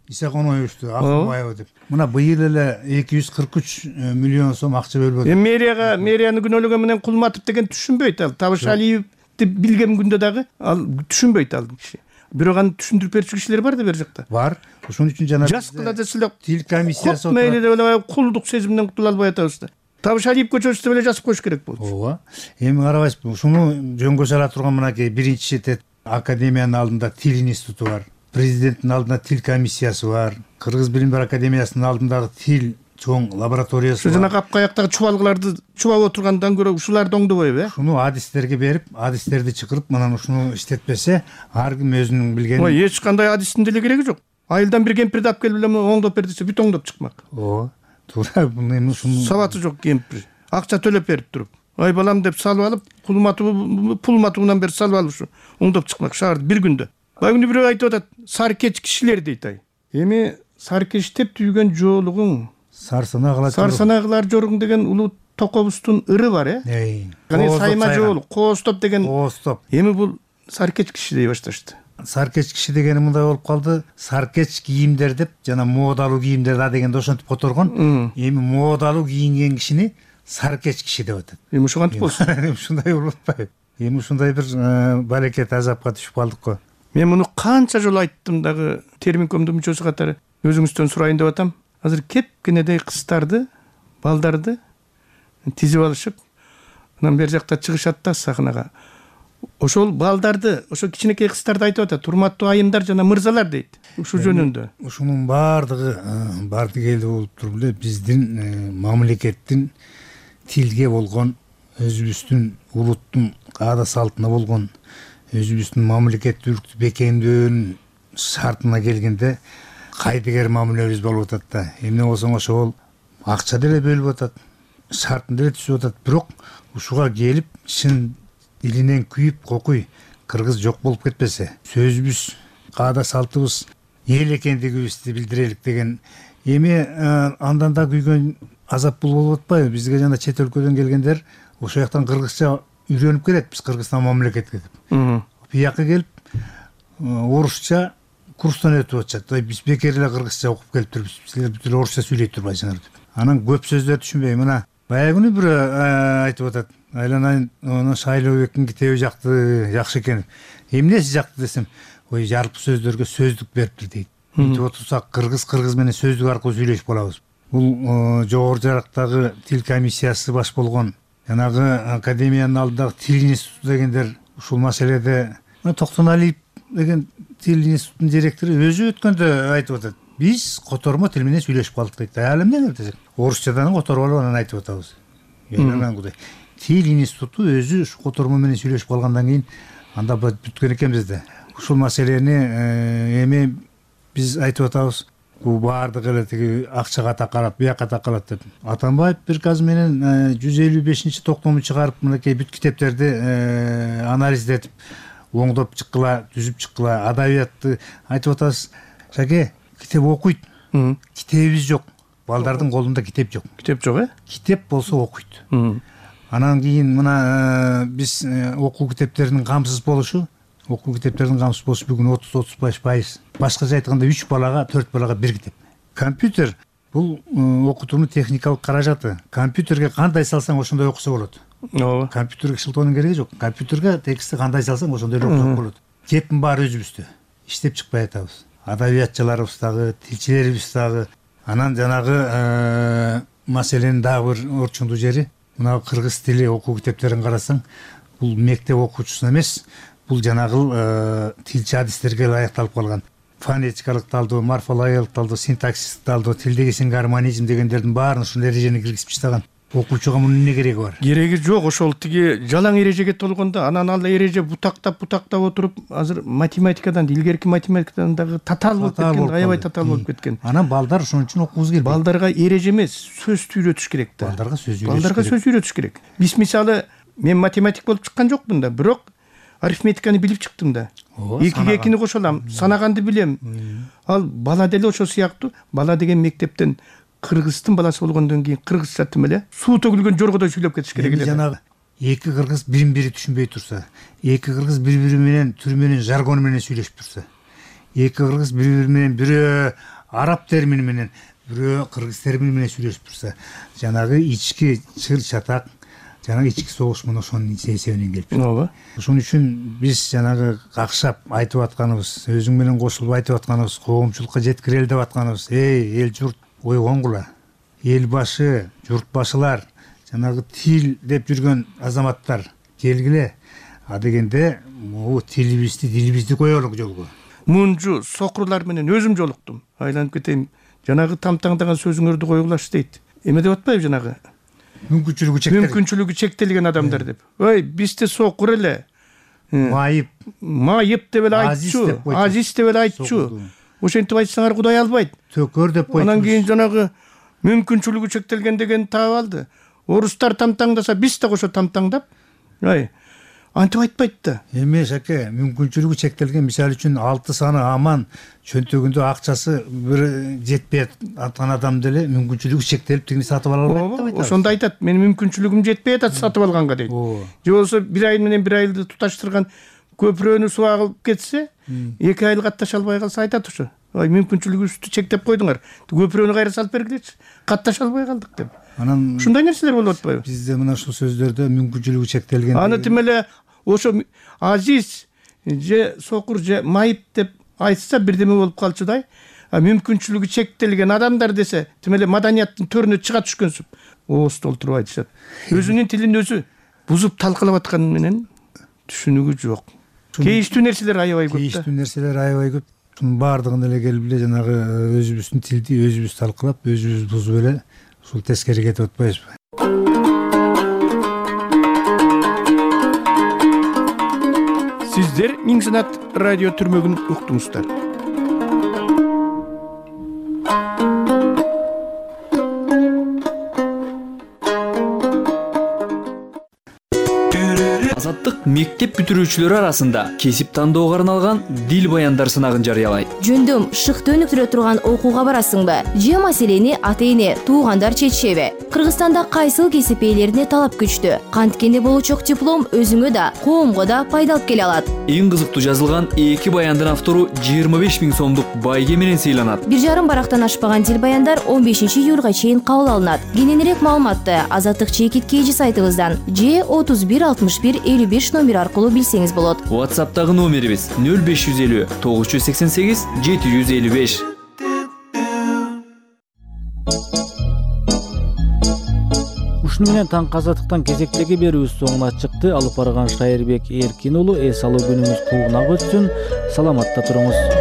Исаконовичту Ахунбаева деп мына быйыл эле эки жүз кырк үч миллион сом акча бөлүп эми мэрияга мэрияны күнөөлөгөн менен Кулматов деген түшүнбөйт ал Табышалиевди билген күндө дагы ал түшүнбөйт ал киши бирок аны түшүндүрүп берчү кишилер бар да бер жакта бар ошон үчүн жана жас кыла десе эле тил комиссиясы отурат мейли деп эле кулдук сезиминен кутула албай атабыз да Табышалиев көчөсү деп эле жазып коюш керек болчу ооба эми карабайсызбы ушуну жөнгө сала турган мынакей биринчи тет академиянын алдында тил институту бар президенттин алдында тил комиссиясы бар Кыргыз билим берүү академиясынын алдындагы тил чоң лабораториясы бар жанагы апкаяктагы чубалгыларды чубап отургандан көрө ушуларды оңдобойбу э ушуну адистерге берип адистерди чакырып мынан ушуну иштетпесе ар ким өзүнүн билгенин ой эч кандай адистин деле кереги жок айылдан бир кемпирди алып келип эле оңдоп бер десе бүт оңдоп чыкмак ооба туура эми ушуну сабаты жок кемпир акча төлөп берип туруп ай балам деп салып алып пулматуу пулматуунан бери салып алып ушу оңдоп чыкмак шаарды бир күндө баягы бирөө айтып атат саркеч кишилер дейт ай эми саркечтеп түйгөн жоолугуң сарсанагылар сарсанагылар жоруң деген улуу токобуздун ыры бар э сайма жоолук коостоп деген коостоп эми бул саркеч киши дей башташты саркеч киши дегени мындай болуп калды саркеч кийимдер деп жана модалуу кийимдер да дегенде ошентип которгон эми модалуу кийинген кишини саркеч киши деп атат эми ошо кантип болсун эми ушундай болуп атпайбы эми ушундай бир балекет азапка түшүп калдык го мен муну канча жолу айттым дагы терминкомдун мүчөсү катары өзүңүздөн сурайын деп атам азыр кепкенедей кыздарды балдарды тизип алышып анан бери жакта чыгышат да сахнага ошол балдарды, ошо кичинекей кыздарды айтып атат, урматтуу айымдар жана мырзалар дейт. Ушул жөнүндө. Ушунун баардыгы бар дегеле болуп туруп эле биздин мамлекеттин тилге болгон, өзүбүздүн улуттун каада салтына болгон, өзүбүздүн мамлекеттүүлүктү бекемдөөнүн шартына келгенде кайдыгер мамилебиз болуп атат да. Эмне болсоң ошол акча деле бөлүп атат, шартын деле түзүп атат. Бирок ушуга келип чын илинен күйүп кокуй кыргыз жок болуп кетпесе, сөзүбүз, каада салтыбыз эл экендигибизди билдирелик деген эми андан да күйгөн азап бул болуп атпайбы? Бизге жана чет өлкөдөн келгендер ошол жактан кыргызча үйрөнүп келет, биз Кыргызстан мамлекетке деп. Бияка келип орусча курстан өтүп атышат. Биз бекер эле кыргызча окуп келиптирбиз. Силер бүт эле орусча сүйлөй турбайсыңар деп. Анан көп сөздөрдү түшүнбөйм. Мына баягы күнү бир айтып атат. Айланайын, анын Шайлообектин китеби жакты, жакшы экен. Эмнеси жакты десем, ой жарык сөздөргө сөздүк бериптир дейт. Мынтип отурсак кыргыз кыргыз менен сөздүк аркылуу сүйлөшүп калабыз. Бул жогору жарактагы тил комиссиясы баш болгон, жанагы академиянын алдындагы тил институту дегендер ушул маселеде Токтоналиев деген тил институтунун директору өзү өткөндө айтып атат. Биз котормо тил менен сүйлөшүп калдык дейт. Ал эмне десек, орусчадан которуп алып анан айтып атабыз. Анан кудай. Тил институту өзү ушу котормо менен сүйлөшүп калгандан кийин анда бүткөн экенбиз да. Ушул маселени эми биз айтып атабыз. Бул баардыгы эле тиги акчага такалат, бияка такалат деп. Атамбаев приказ менен жүз элүү бешинчи токтому чыгарып, мынакей бүт китептерди анализдетип, оңдоп чыккыла, түзүп чыккыла, адабиятты айтып атабыз. Шаке, китеп окуйт. Китебибиз жок. Балдардын колунда китеп жок. Китеп жок, э? Китеп болсо окуйт. Анан кийин мына биз окуу китептеринин камсыз болушу, окуу китептеринин камсыз болушу бүгүн отуз отуз беш пайыз. Башкача айтканда үч балага, төрт балага бир китеп. Компьютер бул окутуунун техникалык каражаты. Компьютерге кандай салсаң ошондой окуса болот. Ооба. Компьютерге шылтоонун кереги жок. Компьютерге текстти кандай салсаң ошондой эле окусак болот. Кептин баары өзүбүздө. Иштеп чыкпай атабыз. Адабиятчыларыбыз дагы, тилчилерибиз дагы. Анан жанагы маселенин дагы бир орчундуу жери, мына кыргыз тили окуу китептерин карасаң, бул мектеп окуучусуна эмес, бул жанагы тилчи адистерге ылайыкталып калган. Фонетикалык талдоо, морфологиялык талдоо, синтаксистик талдоо, тилдеги сингармонизм дегендердин баарын ушул эрежени киргизип таштаган. Окуучуга мунун эмне кереги бар? Кереги жок, ошол тиги жалаң эрежеге толгондо анан ал эреже бутактап бутактап отуруп, азыр математикадан, илгерки математикадан дагы татаал болуп кеткен, аябай татаал болуп кеткен. Анан балдар ошон үчүн окугубуз келбейт. Балдарга эреже эмес, сөз үйрөтүш керек да. Балдарга сөз үйрөтүш керек. Балдарга сөз үйрөтүш керек. Биз мисалы, мен математик болуп чыккан жокмун да, бирок арифметиканы билип чыктым да. Экиге экини кошо алам, санаганды билем. Ал бала деле ошол сыяктуу, бала деген мектептен кыргыздын баласы болгондон кийин кыргызча тим эле суу төгүлгөн жоргодой сүйлөп кетиш керек эле. Жанагы эки кыргыз бирин бири түшүнбөй турса, эки кыргыз бири бири менен түрү менен, жаргону менен сүйлөшүп турса, эки кыргыз бири бири менен, бирөө араб термини менен, бирөө кыргыз термини менен сүйлөшүп турса, жанагы ички чыр чатак, жанагы ички согуш мына ошонун эсебинен келип чыкты. Ооба. Ошон үчүн биз жанагы какшап айтып атканыбыз, өзүң менен кошулуп айтып атканыбыз, коомчулукка жеткирели деп атканыбыз, эй, эл журт ойгонгула, эл башы, журт башылар, жанагы тил деп жүргөн азаматтар келгиле. А дегенде могу тилибизди, дилибизди коелук жолго. Мунжу сокурлар менен өзүм жолуктум. Айланып кетейин. Жанагы тамтаңдаган сөзүңөрдү койгулашы дейт. Эме деп атпайбы жанагы? Мүмкүнчүлүгү чектелген. Мүмкүнчүлүгү чектелген адамдар деп. Ой, бизде сокур эле. Майып, майып деп эле айтчу, азиз деп эле айтчу. Ошентип айтсаңар Кудай албайт. Төкөр деп койду. Анан кийин жанагы мүмкүнчүлүгү чектелген деген таап алды. Орустар тамтаңдаса, биз да кошо тамтаңдап, ай, антип айтпайт да. Эме Шаке, мүмкүнчүлүгү чектелген, мисалы үчүн алты саны аман, чөнтөгүндө акчасы бир жетпей аткан адам деле мүмкүнчүлүгү чектелип тигини сатып ала албайт деп айтат. Ошондо айтат, менин мүмкүнчүлүгүм жетпей атат сатып алганга дейт. Же болбосо бир ай менен бир айлды туташтырган көпүрөнү суу агып кетсе, эки ай катташа албай калса айтат ошо. Ой, мүмкүнчүлүгүбүздү чектеп койдуңар. Көпүрөнү кайра салып бергилечи. Катташа албай калдык деп. Анан ушундай нерселер болуп атпайбы? Бизде мына ушул сөздөрдө мүмкүнчүлүгү чектелген. Аны тим эле ошо азиз же сокур же майып деп айтса бирдеме болуп калчудай. А мүмкүнчүлүгү чектелген адамдар десе, тим эле маданияттын төрүнө чыга түшкөнсүп, ооз толтуруп айтышат. Өзүнүн тилин өзү бузуп талкалап атканы менен түшүнүгү жок. Кейиштүү нерселер аябай көп да. Кейиштүү нерселер аябай көп. Шунун баардыгын эле келип эле жанагы өзүбүздүн тилди өзүбүз талкылап, өзүбүз бузуп эле ушул тескери кетип атпайбызбы? Сиздер Миң Санат радио түрмөгүн уктуңуздар. Азаттык мектеп бүтүрүүчүлөрү арасында кесип тандоого арналган дил баяндар сынагын жарыялайт. Жөндөм шыкты өнүктүрө турган окууга барасыңбы? Же маселени ата-эне, туугандар чечишеби? Кыргызстанда кайсыл кесип ээлерине талап күчтүү? Канткенде болучок диплом өзүңө да, коомго да пайда алып келе алат. Эң кызыктуу жазылган эки баяндын автору жыйырма беш миң сомдук байге менен сыйланат. Бир жарым барактан ашпаган дил баяндар он бешинчи июлга чейин кабыл алынат. Кененирээк маалыматты Азаттык чекит кейжи сайтыбыздан же отуз бир алтымыш бир элүү беш номер аркылуу билсеңиз болот. WhatsApp'тагы номерибиз нөл беш жүз элүү тогуз жүз сексен сегиз жети жүз элүү беш. Ушуну менен таңкы азаттыктан кезектеги берүүбүз соңуна чыкты. Алып барган Шайырбек Эркин уулу эс алуу күнүңүз куугунак өтсүн. Саламатта туруңуз.